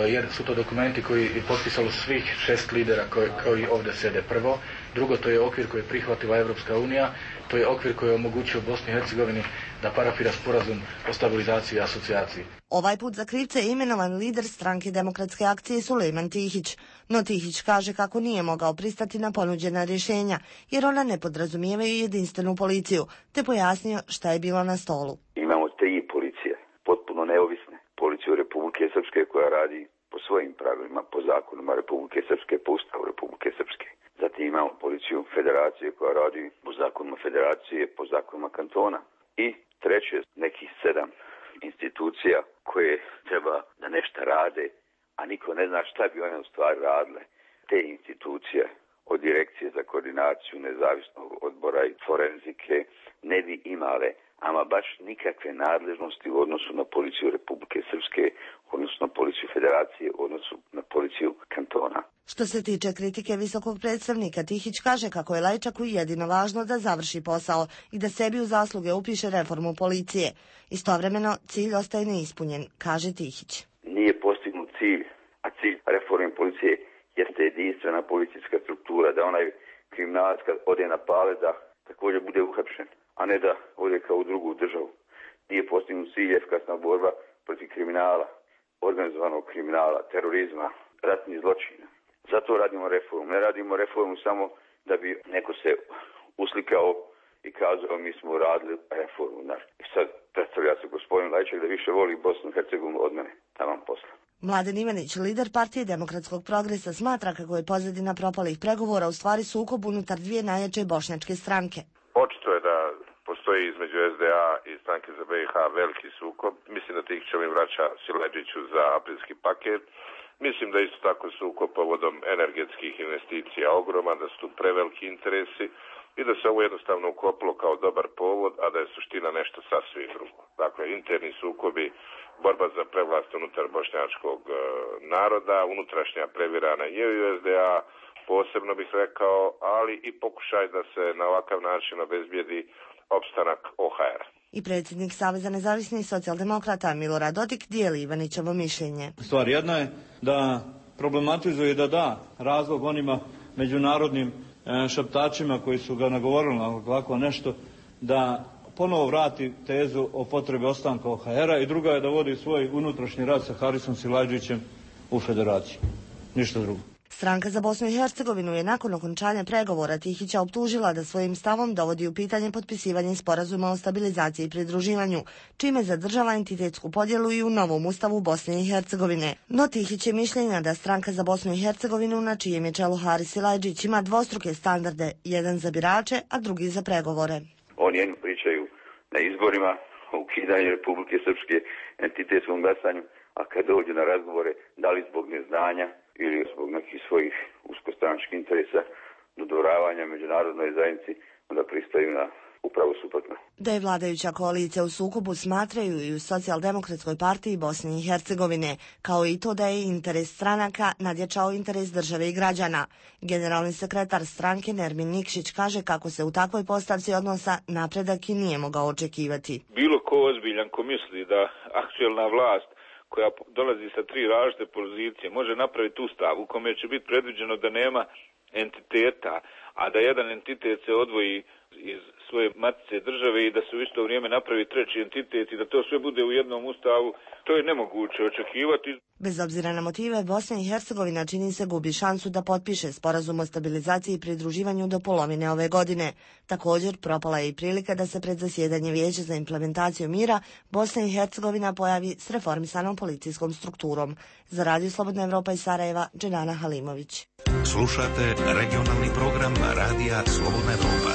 jer su to dokumenti koji je potpisalo svih 6 lidera koji ovdje sede. Prvo, drugo, to je okvir koji je prihvatila Evropska unija, to je okvir koji je omogućio Bosni i Hercegovini da parafira sporazum o stabilizaciji i asocijaciji. Ovaj put za krivce je imenovan lider stranke Demokratske akcije Sulejman Tihić, no Tihić kaže kako nije mogao pristati na ponuđena rješenja, jer ona ne podrazumijevaju jedinstvenu policiju, te pojasnio šta je bilo na stolu. Imamo 3 policije, potpuno neovisne. Policiju Republike Srpske koja radi po svojim pravilima, po zakonima Republike Srpske, po Ustavu Republike Srpske. Zatim imamo policiju Federacije koja radi po zakonima Federacije, po zakonima kantona. I treće, nekih 7 institucija koje treba da nešto rade, a niko ne zna šta bi one u stvari radile. Te institucije, od Direkcije za koordinaciju nezavisnog odbora i forenzike, ne bi imale ama baš nikakve nadležnosti u odnosu na policiju Republike Srpske, odnosno na policiju Federacije, u odnosu na policiju kantona. Što se tiče kritike visokog predstavnika, Tihić kaže kako je Lajčaku jedino važno da završi posao i da sebi u zasluge upiše reformu policije. Istovremeno, cilj ostaje neispunjen, kaže Tihić. Nije postignut cilj, a cilj reforme policije jeste jedinstvena policijska struktura, da onaj kriminalac kad ode na pale da također bude uhapšen, a ne da ode kao u drugu državu. Nije postignut cilj efikasna borba protiv kriminala, organizovanog kriminala, terorizma, ratnih zločina. Zato radimo reformu. Ne radimo reformu samo da bi neko se uslikao i kazao mi smo radili reformu. I sad predstavlja se gospodin Lajčak da više voli Bosnu i Hercegovinu od mene. Tamo posla. Mladen Ivanić, lider partije Demokratskog progresa, smatra kako je pozadina propalih pregovora u stvari sukob unutar 2 najjače bošnjačke stranke. Očito je da postoji između SDA i stranke za BiH veliki sukob. Mislim da Tihićev vraća Siledžiću za aprilski paket. Mislim da isto tako sukob povodom energetskih investicija ogroman, da su tu preveliki interesi i da se ovo jednostavno ukopilo kao dobar povod, a da je suština nešto sasvim drugo. Dakle, interni sukobi, borba za prevlast unutar bošnjačkog naroda, unutrašnja previrana je u SDA, posebno bih rekao, ali i pokušaj da se na ovakav način obezbijedi opstanak OHR-a. I predsjednik Saveza nezavisnih socijaldemokrata Milorad Dodik dijeli Ivanićevo mišljenje. Stvar jedna je da problematizuje i da da razlog onima međunarodnim šaptačima koji su ga nagovorili na ovako nešto, da ponovo vrati tezu o potrebi ostanka OHR-a i druga je da vodi svoj unutrašnji rad sa Harisom Silajdžićem u federaciji. Ništa drugo. Stranka za Bosnu i Hercegovinu je nakon okončanja pregovora Tihića optužila da svojim stavom dovodi u pitanje potpisivanje sporazuma o stabilizaciji i pridruživanju, čime zadržava entitetsku podjelu i u novom ustavu Bosne i Hercegovine. No Tihić je mišljenja da Stranka za Bosnu i Hercegovinu, na čijem je čelu Haris Silajdžić, ima dvostruke standarde, jedan za birače, a drugi za pregovore. Oni jedno pričaju na izborima o ukidanju Republike Srpske, entitetskom glasanju, a kad dođe na razgovore, da li zbog neznanja ili zbog nekih svojih uskostranačkih interesa, dodvoravanja međunarodnoj zajednici, onda pristaju na upravo suprotno. Da je vladajuća koalicija u sukobu smatraju i u Socijaldemokratskoj partiji Bosne i Hercegovine, kao i to da je interes stranaka nadjačao interes države i građana. Generalni sekretar stranke Nermin Nikšić kaže kako se u takvoj postavci odnosa napredak i nije mogao očekivati. Bilo ko ozbiljan ko misli da aktuelna vlast koja dolazi sa tri različite pozicije, može napraviti ustav u kome će biti predviđeno da nema entiteta, a da jedan entitet se odvoji iz svoje matice države i da se u isto vrijeme napravi treći entitet i da to sve bude u jednom ustavu, to je nemoguće očekivati. Bez obzira na motive, Bosna i Hercegovina čini se gubi šansu da potpiše sporazum o stabilizaciji i pridruživanju do polovine ove godine. Također, propala je i prilika da se pred zasjedanje Vijeća za implementaciju mira Bosna i Hercegovina pojavi s reformisanom policijskom strukturom. Za Radio Slobodna Evropa iz Sarajeva, Dženana Halimović. Slušate regionalni program Radija Slobodna Evropa.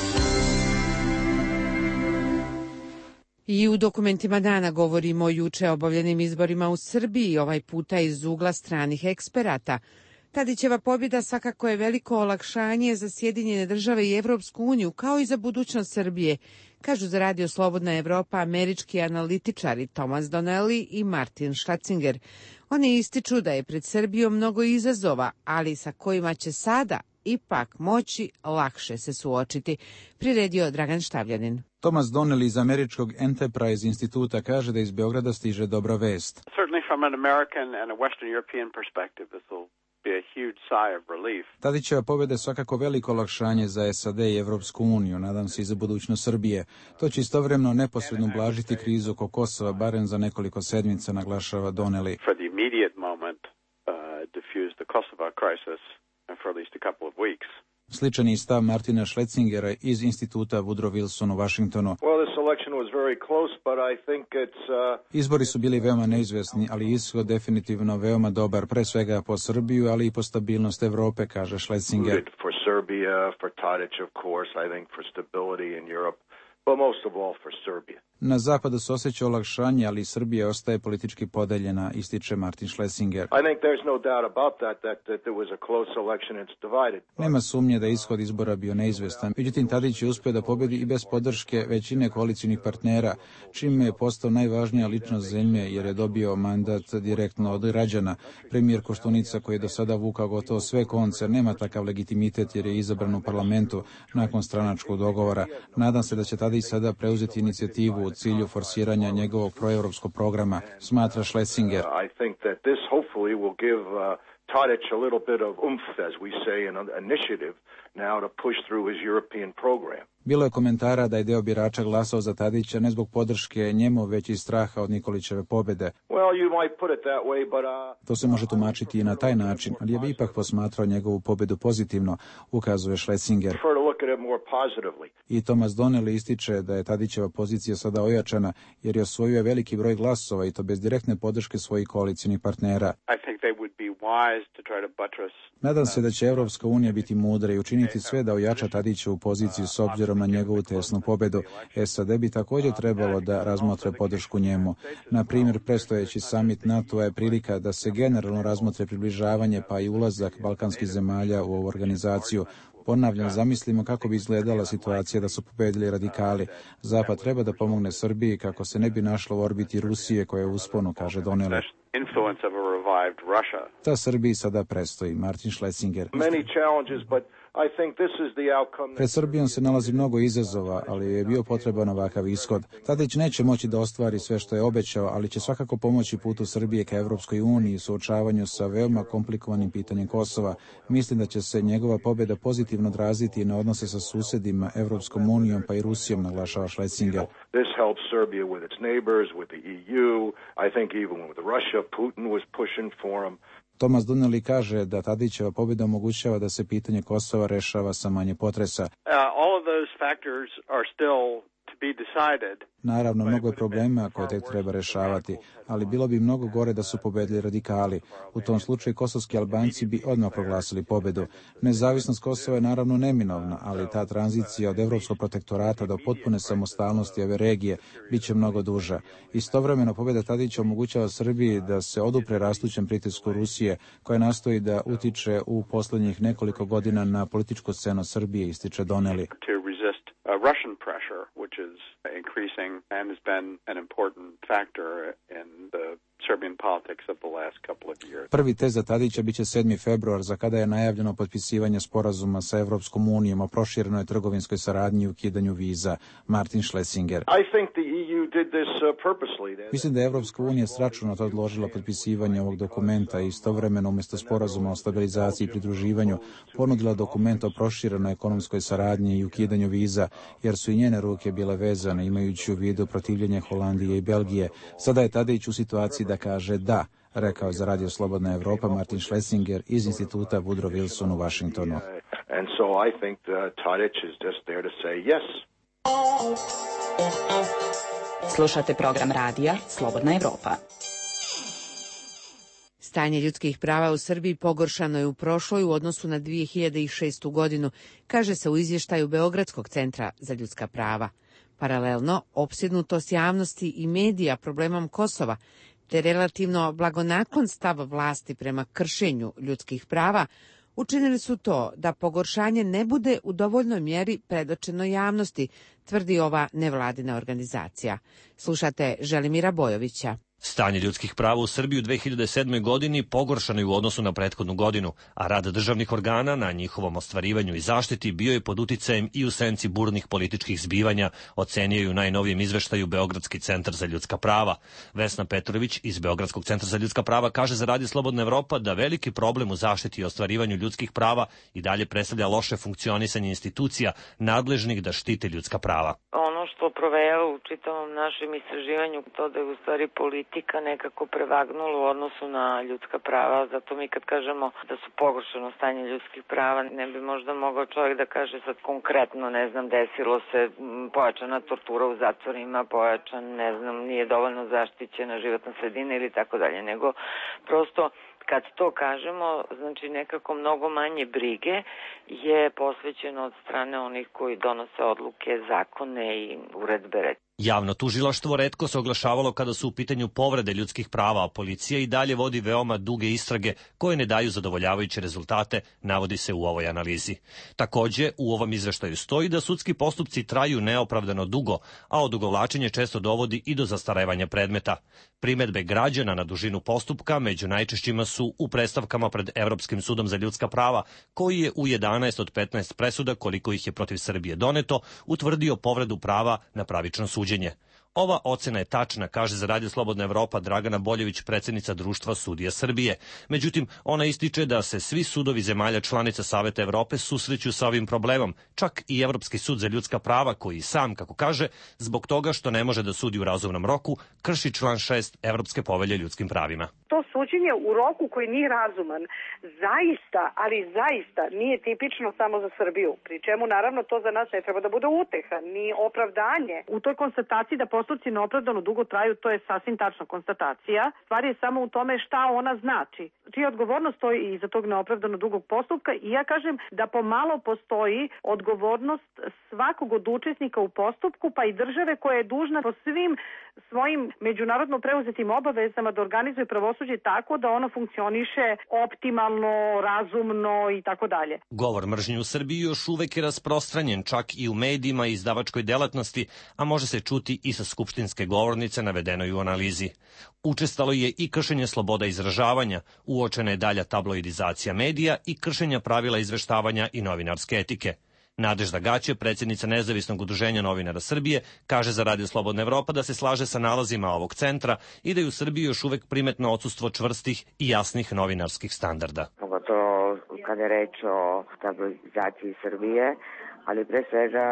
I u dokumentima dana govorimo o juče obavljenim izborima u Srbiji, ovaj puta iz ugla stranih eksperata. Tadićeva pobjeda svakako je veliko olakšanje za Sjedinjene države i Evropsku uniju, kao i za budućnost Srbije, kažu za Radio Slobodna Evropa američki analitičari Thomas Donnelly i Martin Schatzinger. Oni ističu da je pred Srbijom mnogo izazova, ali sa kojima će sada ipak moći lakše se suočiti, priredio Dragan Štavljanin. Thomas Donnelly iz američkog Enterprise instituta kaže da iz Beograda stiže dobra vest. Certainly from an American and a Western European perspective, this will be a huge sigh of relief. Tadićeva pobjeda je svakako veliko olakšanje za SAD i Evropsku uniju, nadam se i za budućnost Srbije. To će istovremeno neposredno ublažiti krizu oko Kosova, barem za nekoliko sedmica, naglašava Donnelly. For the immediate moment, diffuse the Kosovo crisis for at least a couple of weeks. Sličan je stav Martina Schlesingera iz instituta Woodrow Wilson u Washingtonu. Izbori su bili veoma neizvesni, ali ishod definitivno veoma dobar, pre svega po Srbiju, ali i po stabilnost Evrope, kaže Schlesinger. For Serbia, for Tadić, of course, I think for stability in Europe, but most of all for Serbia. Na zapadu se osjeća olakšanje, ali Srbija ostaje politički podeljena, ističe Martin Schlesinger. Nema sumnje da je ishod izbora bio neizvestan. Međutim, Tadić je uspio da pobedi i bez podrške većine koalicijnih partnera, čime je postao najvažnija ličnost zemlje jer je dobio mandat direktno od građana. Premijer Koštunica, koji je do sada vukao gotovo sve konce, nema takav legitimitet jer je izabran u parlamentu nakon stranačkog dogovora. Nadam se da će Tadić sada preuzeti inicijativu u cilju forsiranja njegovog proevropskog programa, smatra Schlesinger. I think that this hopefully will give Tadić a little bit of oomph, as we say, an initiative now to push through his European program. Bilo je komentara da je deo birača glasao za Tadića ne zbog podrške njemu, već i straha od Nikolićeve pobjede. To se može tumačiti i na taj način, ali ja bih ipak posmatrao njegovu pobjedu pozitivno, ukazuje Schlesinger. I Thomas Donnelly ističe da je Tadićeva pozicija sada ojačana jer je osvojio veliki broj glasova i to bez direktne podrške svojih koalicijnih partnera. Nadam se da će Evropska unija biti mudra i učiniti sve da ojača Tadićevu poziciju s obzirom na njegovu tesnu pobedu. SAD bi također trebalo da razmotre podršku njemu. Na primjer, predstojeći samit NATO je prilika da se generalno razmotre približavanje pa i ulazak balkanskih zemalja u ovu organizaciju. Ponavljam, zamislimo kako bi izgledala situacija da su pobedili radikali. Zapad treba da pomogne Srbiji kako se ne bi našlo u orbiti Rusije koja je u usponu, kaže Donnelly. Ta Srbiji sada predstoji. Martin Schlesinger. Pred Srbijom se nalazi mnogo izazova, ali je bio potreban ovakav ishod. Tadić neće moći da ostvari sve što je obećao, ali će svakako pomoći putu Srbije ka Evropskoj uniji i suočavanju sa veoma komplikovanim pitanjem Kosova. Mislim da će se njegova pobjeda pozitivno odraziti na odnose sa susedima, Evropskom unijom pa i Rusijom, naglašava Schlesinger. This helps Serbia with its neighbors, with the EU. I think even with Russia, Putin was pushing for him. Thomas Donnelly kaže da Tadićeva pobjeda omogućava da se pitanje Kosova rešava sa manje potresa. All of those factors are still to be decided. Naravno, mnogo je problema koje tek treba rešavati, ali bilo bi mnogo gore da su pobedili radikali. U tom slučaju kosovski Albanci bi odmah proglasili pobedu. Nezavisnost Kosova je naravno neminovna, ali ta tranzicija od evropskog protektorata do potpune samostalnosti ove regije bit će mnogo duža. Istovremeno, pobjeda Tadića omogućava Srbiji da se odupre rastućem pritisku Rusije, koja nastoji da utiče u poslednjih nekoliko godina na političku scenu Srbije, ističe Donnelly. Russian pressure, which is increasing and has been an important factor in the Serbian politics of the last couple of years. Prvi test za Tadića biće 7. februar, za kada je najavljeno potpisivanje sporazuma sa Evropskom unijom o proširenoj trgovinskoj saradnji i ukidanju viza. Martin Schlesinger. Mislim da je Evropska unija sračunno to odložila potpisivanje ovog dokumenta i istovremeno umjesto sporazuma o stabilizaciji i pridruživanju ponudila dokument o proširenoj ekonomskoj saradnji i ukidanju viza, jer su i njene ruke bile vezane, imajući u vidu protivljenje Holandije i Belgije. Sada je Tadić u situaciji da kaže da, rekao za Radio Slobodna Evropa Martin Schlesinger iz instituta Woodrow Wilson u Washingtonu. And so I think Tadić is just there to say yes. Slušate program radija Slobodna Evropa. Stanje ljudskih prava u Srbiji pogoršano je u prošloj u odnosu na 2006. godinu, kaže se u izvještaju Beogradskog centra za ljudska prava. Paralelno, opsjednutost javnosti i medija problemom Kosova, te relativno blagonaklon stav vlasti prema kršenju ljudskih prava, učinili su to da pogoršanje ne bude u dovoljnoj mjeri predočeno javnosti, tvrdi ova nevladina organizacija. Slušate Želimira Bojovića. Stanje ljudskih prava u Srbiji u 2007. godini pogoršano je u odnosu na prethodnu godinu, a rad državnih organa na njihovom ostvarivanju i zaštiti bio je pod uticajem i u senci burnih političkih zbivanja, ocenio je u najnovijem izveštaju Beogradski centar za ljudska prava. Vesna Petrović iz Beogradskog centra za ljudska prava kaže za Radio Slobodna Evropa da veliki problem u zaštiti i ostvarivanju ljudskih prava i dalje predstavlja loše funkcionisanje institucija nadležnih da štite ljudska prava. Ono što provejava u čitavom našem istraživanju, to da je u stvari politika nekako prevagnula u odnosu na ljudska prava, zato mi kad kažemo da su pogoršano stanje ljudskih prava, ne bi možda mogao čovjek da kaže sad konkretno, ne znam, desilo se pojačana tortura u zatvorima, pojačan, ne znam, nije dovoljno zaštićena životna sredina ili tako dalje, nego prosto kad to kažemo, znači nekako mnogo manje brige je posvećeno od strane onih koji donose odluke, zakone i uredbe. Javno tužilaštvo retko se oglašavalo kada su u pitanju povrede ljudskih prava, a policija i dalje vodi veoma duge istrage koje ne daju zadovoljavajuće rezultate, navodi se u ovoj analizi. Takođe, u ovom izveštaju stoji da sudski postupci traju neopravdano dugo, a odugovlačenje često dovodi i do zastarevanja predmeta. Primedbe građana na dužinu postupka među najčešćima su u predstavkama pred Evropskim sudom za ljudska prava, koji je u 11 od 15 presuda, koliko ih je protiv Srbije doneto, utvrdio povredu prava na pravično suđenje. Ova ocena je tačna, kaže za Radio Slobodna Evropa Dragana Boljević, predsjednica Društva sudija Srbije. Međutim, ona ističe da se svi sudovi zemalja članica Saveta Evrope susreću sa ovim problemom, čak i Evropski sud za ljudska prava, koji sam, kako kaže, zbog toga što ne može da sudi u razumnom roku, krši član 6 Evropske povelje ljudskim pravima. To suđenje u roku koji nije razuman, zaista, ali zaista nije tipično samo za Srbiju, pri čemu naravno to za nas ne treba da bude uteha, ni opravdanje. U toj konstataciji da postupci neopravdano dugo traju, to je sasvim tačna konstatacija. Stvar je samo u tome šta ona znači. Čija odgovornost stoji iza tog neopravdano dugog postupka i ja kažem da pomalo postoji odgovornost svakog od učesnika u postupku, pa i države koja je dužna po svim svojim međunarodno preuzetim obavezama da organizuje pravosuđe tako da ono funkcioniše optimalno, razumno i tako dalje. Govor mržnje u Srbiji još uvek je rasprostranjen čak i u medijima i izdavačkoj delatnosti, a može se čuti i sa skupštinske govornice navedenoj u analizi. Učestalo je i kršenje sloboda izražavanja, uočena je dalja tabloidizacija medija i kršenja pravila izveštavanja i novinarske etike. Nadežda Gaće, predsjednica Nezavisnog udruženja novinara Srbije, kaže za Radio Slobodna Evropa da se slaže sa nalazima ovog centra i da je u Srbiji još uvek primetno odsustvo čvrstih i jasnih novinarskih standarda. Pogotovo kada je reč o stabilizaciji Srbije, ali pre svega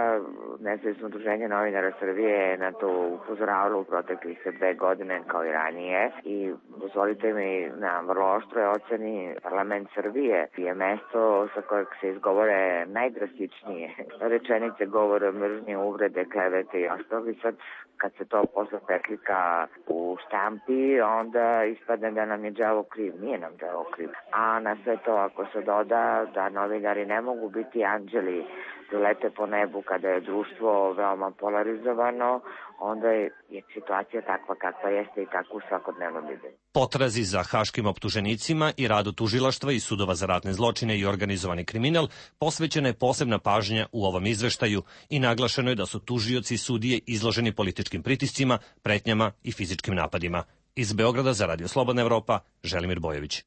Nezavisno udruženje novinara Srbije je na to upozoravalo u proteklih 2 godine kao i ranije i dozvolite mi na vrlo oštroj oceni parlament Srbije je mesto sa kojeg se izgovore najdrastičnije rečenice, govore, mržnje, uvrede, klevete i ostalo. I sad kad se to posle preklika u štampi, onda ispadne da nam je đavo kriv. Nije nam đavo kriv. A na sve to ako se doda da novinari ne mogu biti anđeli lete po nebu kada je društvo veoma polarizovano, onda je situacija takva kakva jeste i tako u svakodnevnom viđenju. Potrazi za haškim optuženicima i radu tužilaštva i sudova za ratne zločine i organizovani kriminal posvećena je posebna pažnja u ovom izveštaju i naglašeno je da su tužioci i sudije izloženi političkim pritiscima, pretnjama i fizičkim napadima. Iz Beograda za Radio Slobodna Evropa, Želimir Bojović.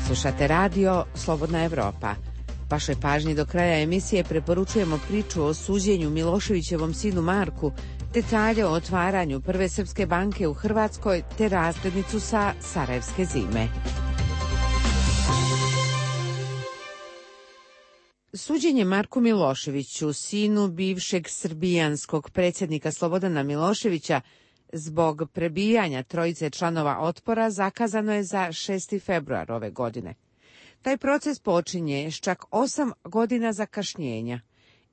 Slušate radio Slobodna Evropa. Vašoj pažnji do kraja emisije preporučujemo priču o suđenju Miloševićevom sinu Marku, detalje o otvaranju prve srpske banke u Hrvatskoj te razglednicu sa Sarajevske zime. Suđenje Marku Miloševiću, sinu bivšeg srbijanskog predsjednika Slobodana Miloševića, zbog prebijanja trojice članova Otpora zakazano je za 6. februar ove godine. Taj proces počinje s čak 8 godina zakašnjenja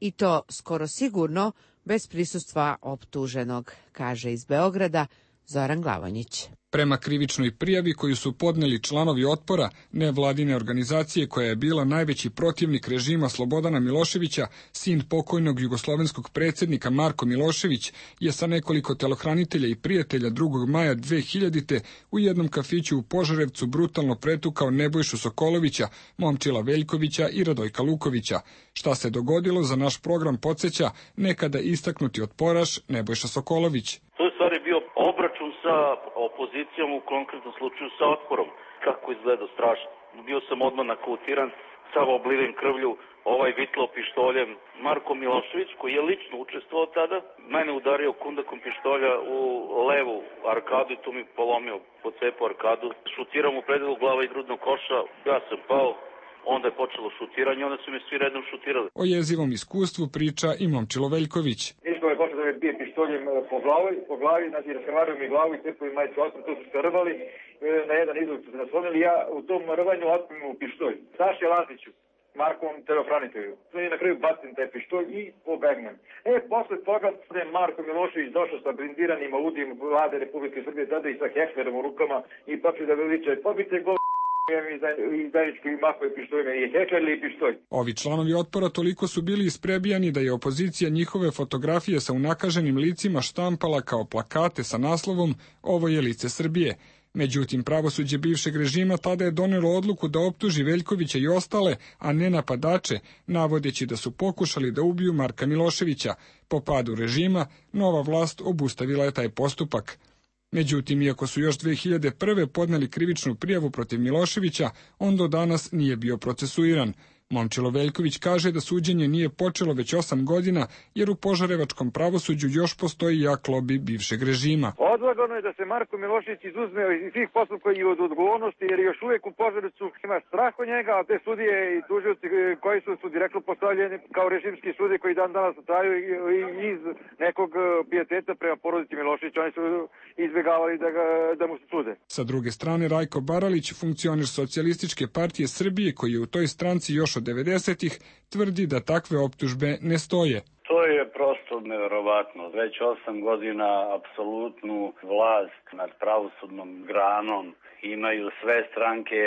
i to skoro sigurno bez prisustva optuženog, kaže iz Beograda Zoran Glavonjić. Prema krivičnoj prijavi koju su podneli članovi Otpora, nevladine organizacije koja je bila najveći protivnik režima Slobodana Miloševića, sin pokojnog jugoslovenskog predsjednika Marko Milošević je sa nekoliko telohranitelja i prijatelja 2. maja 2000. u jednom kafiću u Požarevcu brutalno pretukao Nebojšu Sokolovića, Momčila Veljkovića i Radojka Lukovića. Šta se dogodilo za naš program podsjeća nekada istaknuti otporaš Nebojša Sokolović. To je stvari bio obračun sa opozicijom, u konkretnom slučaju sa Otporom. Kako izgleda strašno. Bio sam odmah nakautiran, sav obliven krvlju, ovaj vitlo pištoljem. Marko Milošević, koji je lično učestvovao tada, mene udario kundakom pištolja u levu arkadu i tu mi polomio, pocepao arkadu. Šutirao mu predelu glava i grudnog koša, ja sam pao. Onda je počelo šutiranje, onda su mi svi redom šutirali. O jezivom iskustvu priča i Momčilo Veljković. Niško je počeo da me bije pištoljem po glavi, znači raskrvario mi glavu i tepo i majicu otpor, tu su se rvali, na jedan izlog su se naslonili, ja u tom rvanju otpim u pištolj. Saši Laziću, Markovom telofranitelju. Na kraju bacim taj pištolj i pobegnem. Posle toga je Marko Milošević došao sa blindiranim Audijem vlade Republike Srbije, tada i sa Heklerom u rukama i počeo da veliča, pobite go Ovi članovi Otpora toliko su bili isprebijani da je opozicija njihove fotografije sa unakaženim licima štampala kao plakate sa naslovom "Ovo je lice Srbije". Međutim, pravosuđe bivšeg režima tada je donelo odluku da optuži Veljkovića i ostale, a ne napadače, navodeći da su pokušali da ubiju Marka Miloševića. Po padu režima, nova vlast obustavila je taj postupak. Međutim, iako su još 2001. podneli krivičnu prijavu protiv Miloševića, on do danas nije bio procesuiran. Momčilo Veljković kaže da suđenje nije počelo već 8 godina, jer u požarevačkom pravosuđu još postoji jak lobi bivšeg režima. Odlagano je da se Marko Milošević izuzme iz svih postupka i od odgovornosti, jer još uvijek u Požarevcu ima strah od njega, a te sudije i tužioci koji su direktno postavljeni kao režimski sudije koji dan danas traju iz nekog pijeteta prema porodici Miloševića, oni su izbjegavali da mu se sude. Sa druge strane, Rajko Baralić, funkcioner Socijalističke partije Srbije, koji je u toj stranci još od 90-ih, tvrdi da takve optužbe ne stoje. To To je prosto neverovatno. Već 8 godina apsolutnu vlast nad pravosudnom granom imaju sve stranke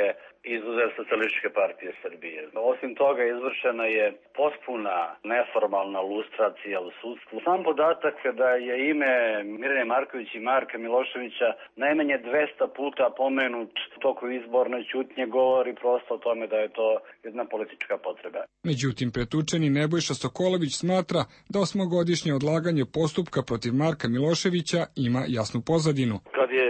izuzev Socijalističke partije Srbije. Osim toga izvršena je potpuna neformalna lustracija u sudstvu. Sam podatak da je ime Mirjane Marković i Marka Miloševića najmanje 200 puta pomenut u toku izborne ćutnje govori prosto o tome da je to jedna politička potreba. Međutim, pretučeni Nebojša Sokolović smatra da 8-godišnje odlaganje postupka protiv Marka Miloševića ima jasnu pozadinu. Kad je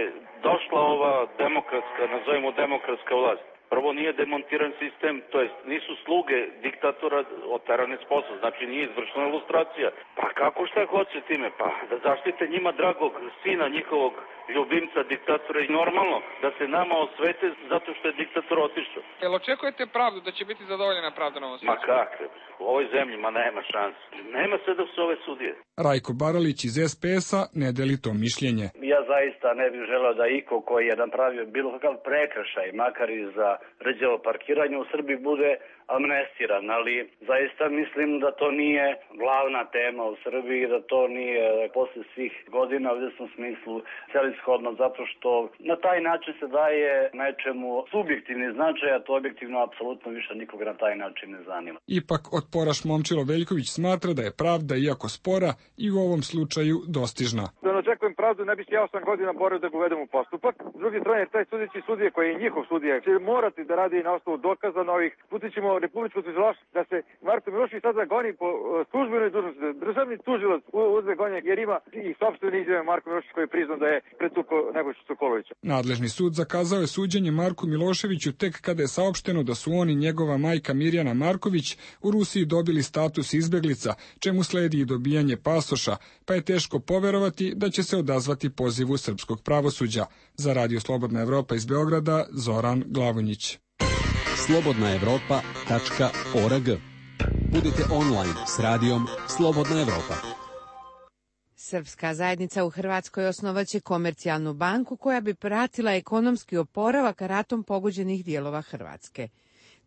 došla ova demokratska, nazovimo demokratska vlast, prvo nije demontiran sistem, to jest nisu sluge diktatora oterane s posla, znači nije izvršena ilustracija. Pa kako šta hoće time? Pa da zaštite njima dragog sina, njihovog ljubimca, diktatora i normalno da se nama osvete zato što je diktator otišao. Jel očekujete pravdu, da će biti zadovoljena pravda na ovom svijetu? Ma kakve? U ovoj zemlji, ma nema šanse. Nema sve dok su ove sudije. Rajko Baralić iz SPS-a ne deli to mišljenje. Ja zaista ne bih želeo da iko koji je napravio bilo kakav prekršaj, makar i za rđavo parkiranje u Srbiji, bude amnestiran, ali zaista mislim da to nije glavna tema u Srbiji, da to nije posle svih godina u izvesnom smislu celishodno, zato što na taj način se daje nečemu subjektivni značaj, a to objektivno apsolutno više nikoga na taj način ne zanima. Ipak otporaš Momčilo Veljković smatra da je pravda, iako spora, i u ovom slučaju dostižna. Da ne očekujem pravdu, ne bih ja 8 godina borio da ga uvedem u postupak. S druge strane, taj sudeći sudija koji je njihov sudija će morati da radi na osnovu dokaza novih. Putićemo republičko tužilaštvo da se Marko Milošević sada goni po službenoj dužnosti. Državni tužilac uzme gonjak jer ima i sopstvene izjave Marko Milošević koji je priznao da je pretukao Nebojšu Sokolovića. Nadležni sud zakazao je suđenje Marku Miloševiću tek kada je saopšteno da su on i njegova majka Mirjana Marković u Rusiji dobili status izbeglica, čemu sledi i dobijanje pasoša, pa je teško poverovati da će se odazvati pozivu srpskog pravosuđa. Za Radio Slobodna Evropa iz Beograda, Zoran Glavonjić. slobodnaevropa.org. Budite online s radijom Slobodna Evropa. Srpska zajednica u Hrvatskoj osnovaće komercijalnu banku koja bi pratila ekonomski oporavak ratom pogođenih dijelova Hrvatske.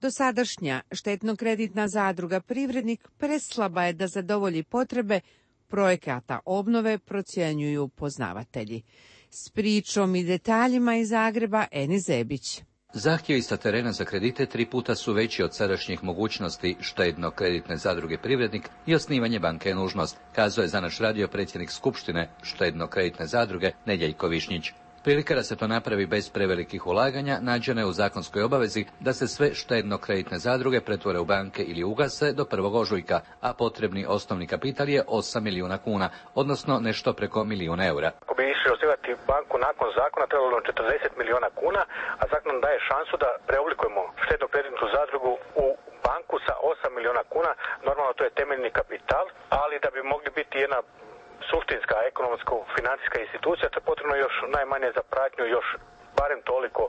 Dosadašnja štetno-kreditna zadruga Privrednik preslaba je da zadovolji potrebe projekata obnove, procjenjuju poznavatelji. S pričom i detaljima iz Zagreba, Eni Zebić. Zahtjevi sa terena za kredite 3 puta su veći od sadašnjih mogućnosti štedno-kreditne zadruge Privrednik i osnivanje banke je nužnost, kazao je za naš radio predsjednik Skupštine štedno-kreditne zadruge Nedjeljko Višnjić. Prilika da se to napravi bez prevelikih ulaganja nađena je u zakonskoj obavezi da se sve štedno-kreditne zadruge pretvore u banke ili ugase do 1. ožujka, a potrebni osnovni kapital je 8 milijuna kuna, odnosno nešto preko milijuna eura. Ako bi išli osnivati banku nakon zakona, trebalo nam 40 milijuna kuna, a zakon nam daje šansu da preoblikujemo štedno-kreditnu zadrugu u banku sa 8 milijuna kuna. Normalno to je temeljni kapital, ali da bi mogli biti jedna suštinska, ekonomsko-financijska institucija, to je potrebno još najmanje za pratnju, još barem toliko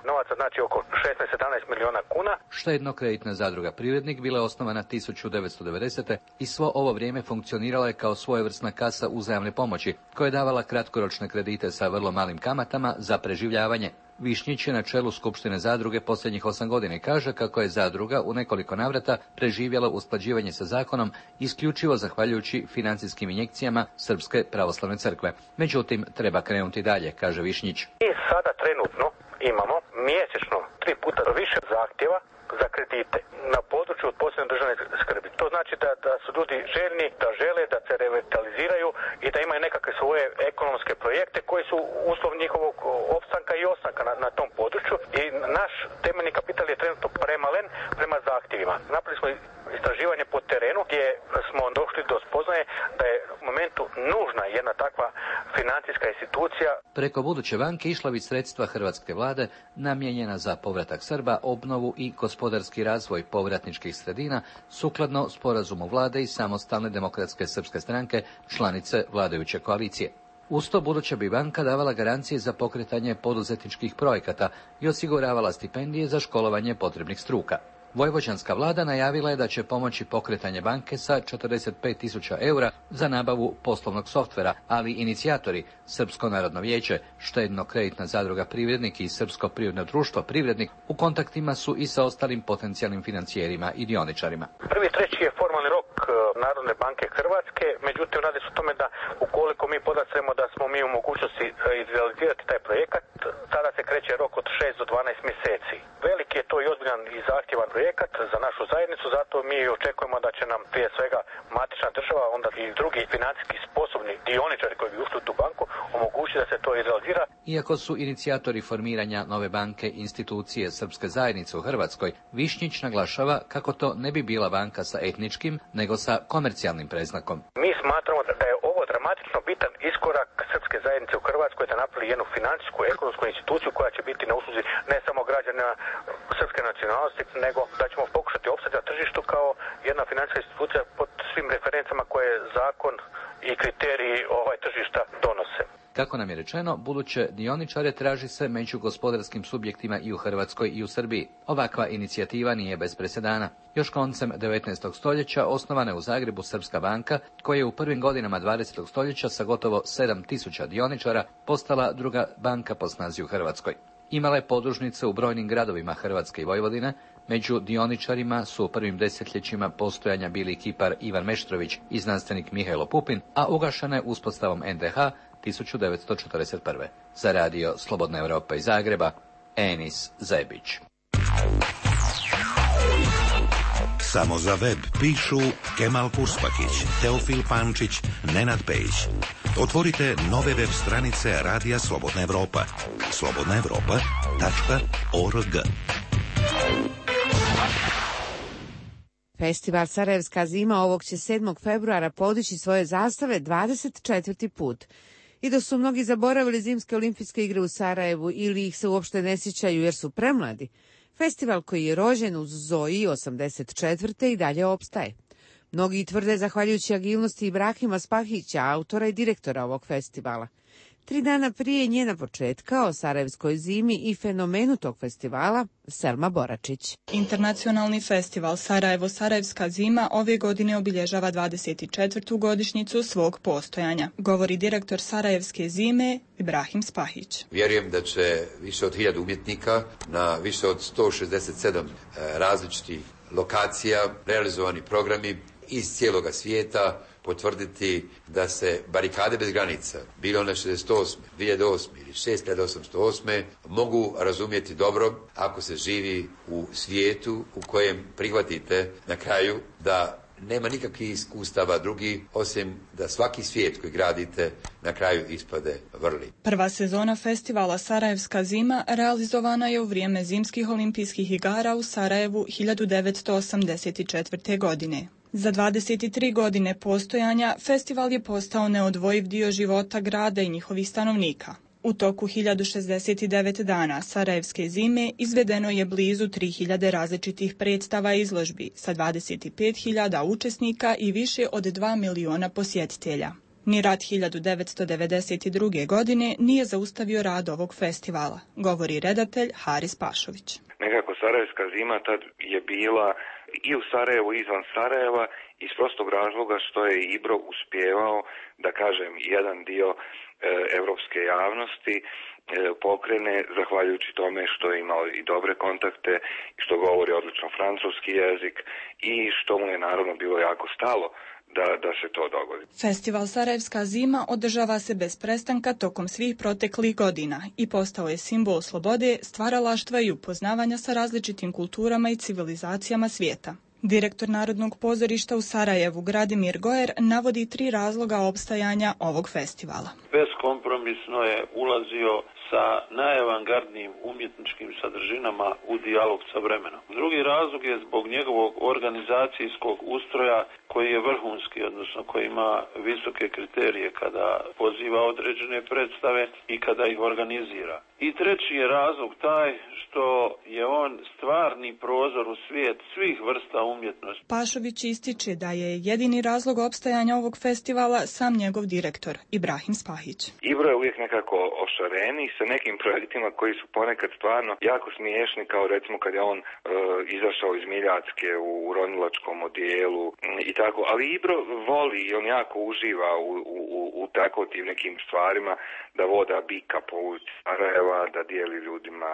novaca, znači oko 16-17 milijuna kuna. Štedno-kreditna zadruga Privrednik bila je osnovana 1990. i svo ovo vrijeme funkcionirala je kao svojevrsna kasa uzajamne pomoći, koja je davala kratkoročne kredite sa vrlo malim kamatama za preživljavanje. Višnjić je na čelu Skupštine zadruge posljednjih 8 godina i kaže kako je zadruga u nekoliko navrata preživjela usklađivanje sa zakonom isključivo zahvaljujući financijskim injekcijama Srpske pravoslavne crkve. Međutim, treba krenuti dalje, kaže Višnjić. I sada trenutno imamo mjesečno 3 puta više zahtjeva za kredite na području od posebne državne skrbi. To znači da su ljudi željni, da žele da se revitaliziraju i da imaju nekakve svoje ekonomske projekte koji su uslov njihovog opstanka i ostanka na tom području. I naš temeljni kapital je trenutno premalen prema zahtjevima. Napravili smo istraživanje po terenu gdje smo došli do spoznaje da je u momentu nužna jedna takva financijska institucija. Preko buduće banke išla bi sredstva hrvatske vlade namijenjena za povratak Srba, obnovu i gospodarski razvoj povratničkih sredina sukladno sporazumu vlade i Samostalne demokratske srpske stranke, članice vladajuće koalicije. Uz to buduća bi banka davala garancije za pokretanje poduzetničkih projekata i osiguravala stipendije za školovanje potrebnih struka. Vojvođanska vlada najavila je da će pomoći pokretanje banke sa 45.000 eura za nabavu poslovnog softvera, ali inicijatori Srpsko narodno vijeće, štedno-kreditna zadruga Privrednik i Srpsko privredno društvo Privrednik u kontaktima su i sa ostalim potencijalnim financijerima i dioničarima. 1.3. je formalni rok Narodne banke Hrvatske, međutim radi se o tome da ukoliko mi podastremo da smo mi u mogućnosti izrealizirati taj projekat, tada se kreće rok od 6 do 12 mjeseci. Veliki je to i ozbiljan i zahtjevan projekat za našu zajednicu, zato mi očekujemo da će nam prije svega matična država, onda i drugi financijski sposobni dioničari koji bi ušli u tu banku omogućiti da se to izrealizira. Iako su inicijatori formiranja nove banke institucije Srpske zajednice u Hrvatskoj, Višnjić naglašava kako to ne bi bila banka sa etničkim, nego sa komercijalnim predznakom. Mi smatramo da je ovo dramatično bitan iskorak Srpske zajednice u Hrvatskoj da napravi jednu financijsku, ekonomsku instituciju koja će biti na usluzi ne samo građana srpske nacionalnosti, nego da ćemo pokušati opstati na tržištu kao jedna financijska institucija pod svim referencama koje zakon i kriteriji tržišta donose. Kako nam je rečeno, buduće dioničare traži se među gospodarskim subjektima i u Hrvatskoj i u Srbiji. Ovakva inicijativa nije bez presedana. Još koncem 19. stoljeća osnovana je u Zagrebu Srpska banka, koja je u prvim godinama 20. stoljeća sa gotovo 7.000 dioničara postala druga banka po snazi u Hrvatskoj. Imala je podružnice u brojnim gradovima Hrvatske i Vojvodine. Među dioničarima su u prvim desetljećima postojanja bili kipar Ivan Meštrović i znanstvenik Mihajlo Pupin, a ugašena je uspostavom NDH 1941. Za radio Slobodna Europa iz Zagreba, Enis Zebić. Samo za web pišu Kemal Kurspakić, Teofil Pančić, Nenad Pejić. Otvorite nove web stranice Radija Slobodna Europa. slobodnaevropa.org. Festival Sarajevska zima ovog će 7. februara podići svoje zastave 24. put. I da su mnogi zaboravili zimske olimpijske igre u Sarajevu ili ih se uopšte ne sjećaju jer su premladi, festival koji je rođen uz Zoji 84. i dalje opstaje. Mnogi tvrde zahvaljujući agilnosti Ibrahima Spahića, autora i direktora ovog festivala. 3 dana prije njena početka o Sarajevskoj zimi i fenomenu tog festivala, Selma Boračić. Internacionalni festival Sarajevo-Sarajevska zima ove godine obilježava 24. godišnjicu svog postojanja, govori direktor Sarajevske zime Ibrahim Spahić. Vjerujem da će više od 1000 umjetnika na više od 167 različitih lokacija, realizovani programi iz cijeloga svijeta potvrditi da se barikade bez granica, bilo one 68, 2008 ili 6808, mogu razumjeti dobro ako se živi u svijetu u kojem prihvatite na kraju da nema nikakvih iskustava drugi, osim da svaki svijet koji gradite na kraju ispade vrli. Prva sezona festivala Sarajevska zima realizovana je u vrijeme zimskih olimpijskih igara u Sarajevu 1984. godine. Za 23 godine postojanja festival je postao neodvojiv dio života grada i njihovih stanovnika. U toku 1069 dana Sarajevske zime izvedeno je blizu 3000 različitih predstava i izložbi sa 25.000 učesnika i više od 2 miliona posjetitelja. Ni rat 1992. godine nije zaustavio rad ovog festivala, govori redatelj Haris Pašović. Nekako Sarajevska zima tad je bila i u Sarajevu i izvan Sarajeva iz prostog razloga što je Ibro uspijevao, da kažem, jedan dio evropske javnosti pokrene zahvaljujući tome što je imao i dobre kontakte, što govori odlično francuski jezik i što mu je naravno bilo jako stalo da se to dogodi. Festival Sarajevska zima održava se bez prestanka tokom svih proteklih godina i postao je simbol slobode, stvaralaštva i upoznavanja sa različitim kulturama i civilizacijama svijeta. Direktor Narodnog pozorišta u Sarajevu, Gradimir Gojer, navodi 3 razloga opstajanja ovog festivala. Beskompromisno je ulazio sa najavangardnijim umjetničkim sadržinama u dijalog sa vremenom. Drugi razlog je zbog njegovog organizacijskog ustroja koji je vrhunski, odnosno koji ima visoke kriterije kada poziva određene predstave i kada ih organizira. I treći je razlog taj što je on stvarni prozor u svijet svih vrsta umjetnosti. Pašović ističe da je jedini razlog opstajanja ovog festivala sam njegov direktor, Ibrahim Spahić. Ibro je uvijek nekako ošareniji sa nekim projektima koji su ponekad stvarno jako smiješni, kao recimo kad je on izašao iz Miljacke u ronilačkom odijelu i tako, ali Ibro voli i on jako uživa u tako tim nekim stvarima, da voda bika po ulici Sarajeva, da dijeli ljudima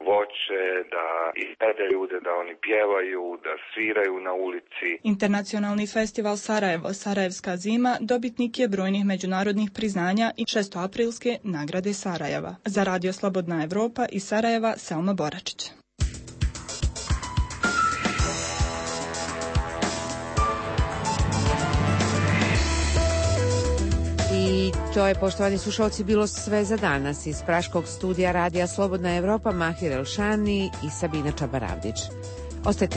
voće, da izvede ljude, da oni pjevaju, da sviraju na ulici. Internacionalni festival Sarajevo, Sarajevska zima, dobitnik je brojnih međunarodnih priznanja i 6. aprilske nagrade Sarajeva. Za Radio Slobodna Evropa iz Sarajeva, Selma Boračić. I to je, poštovani slušalci, bilo sve za danas. Iz praškog studija Radija Slobodna Evropa, Mahir Elšani i Sabina Čabaravdić. Ostajte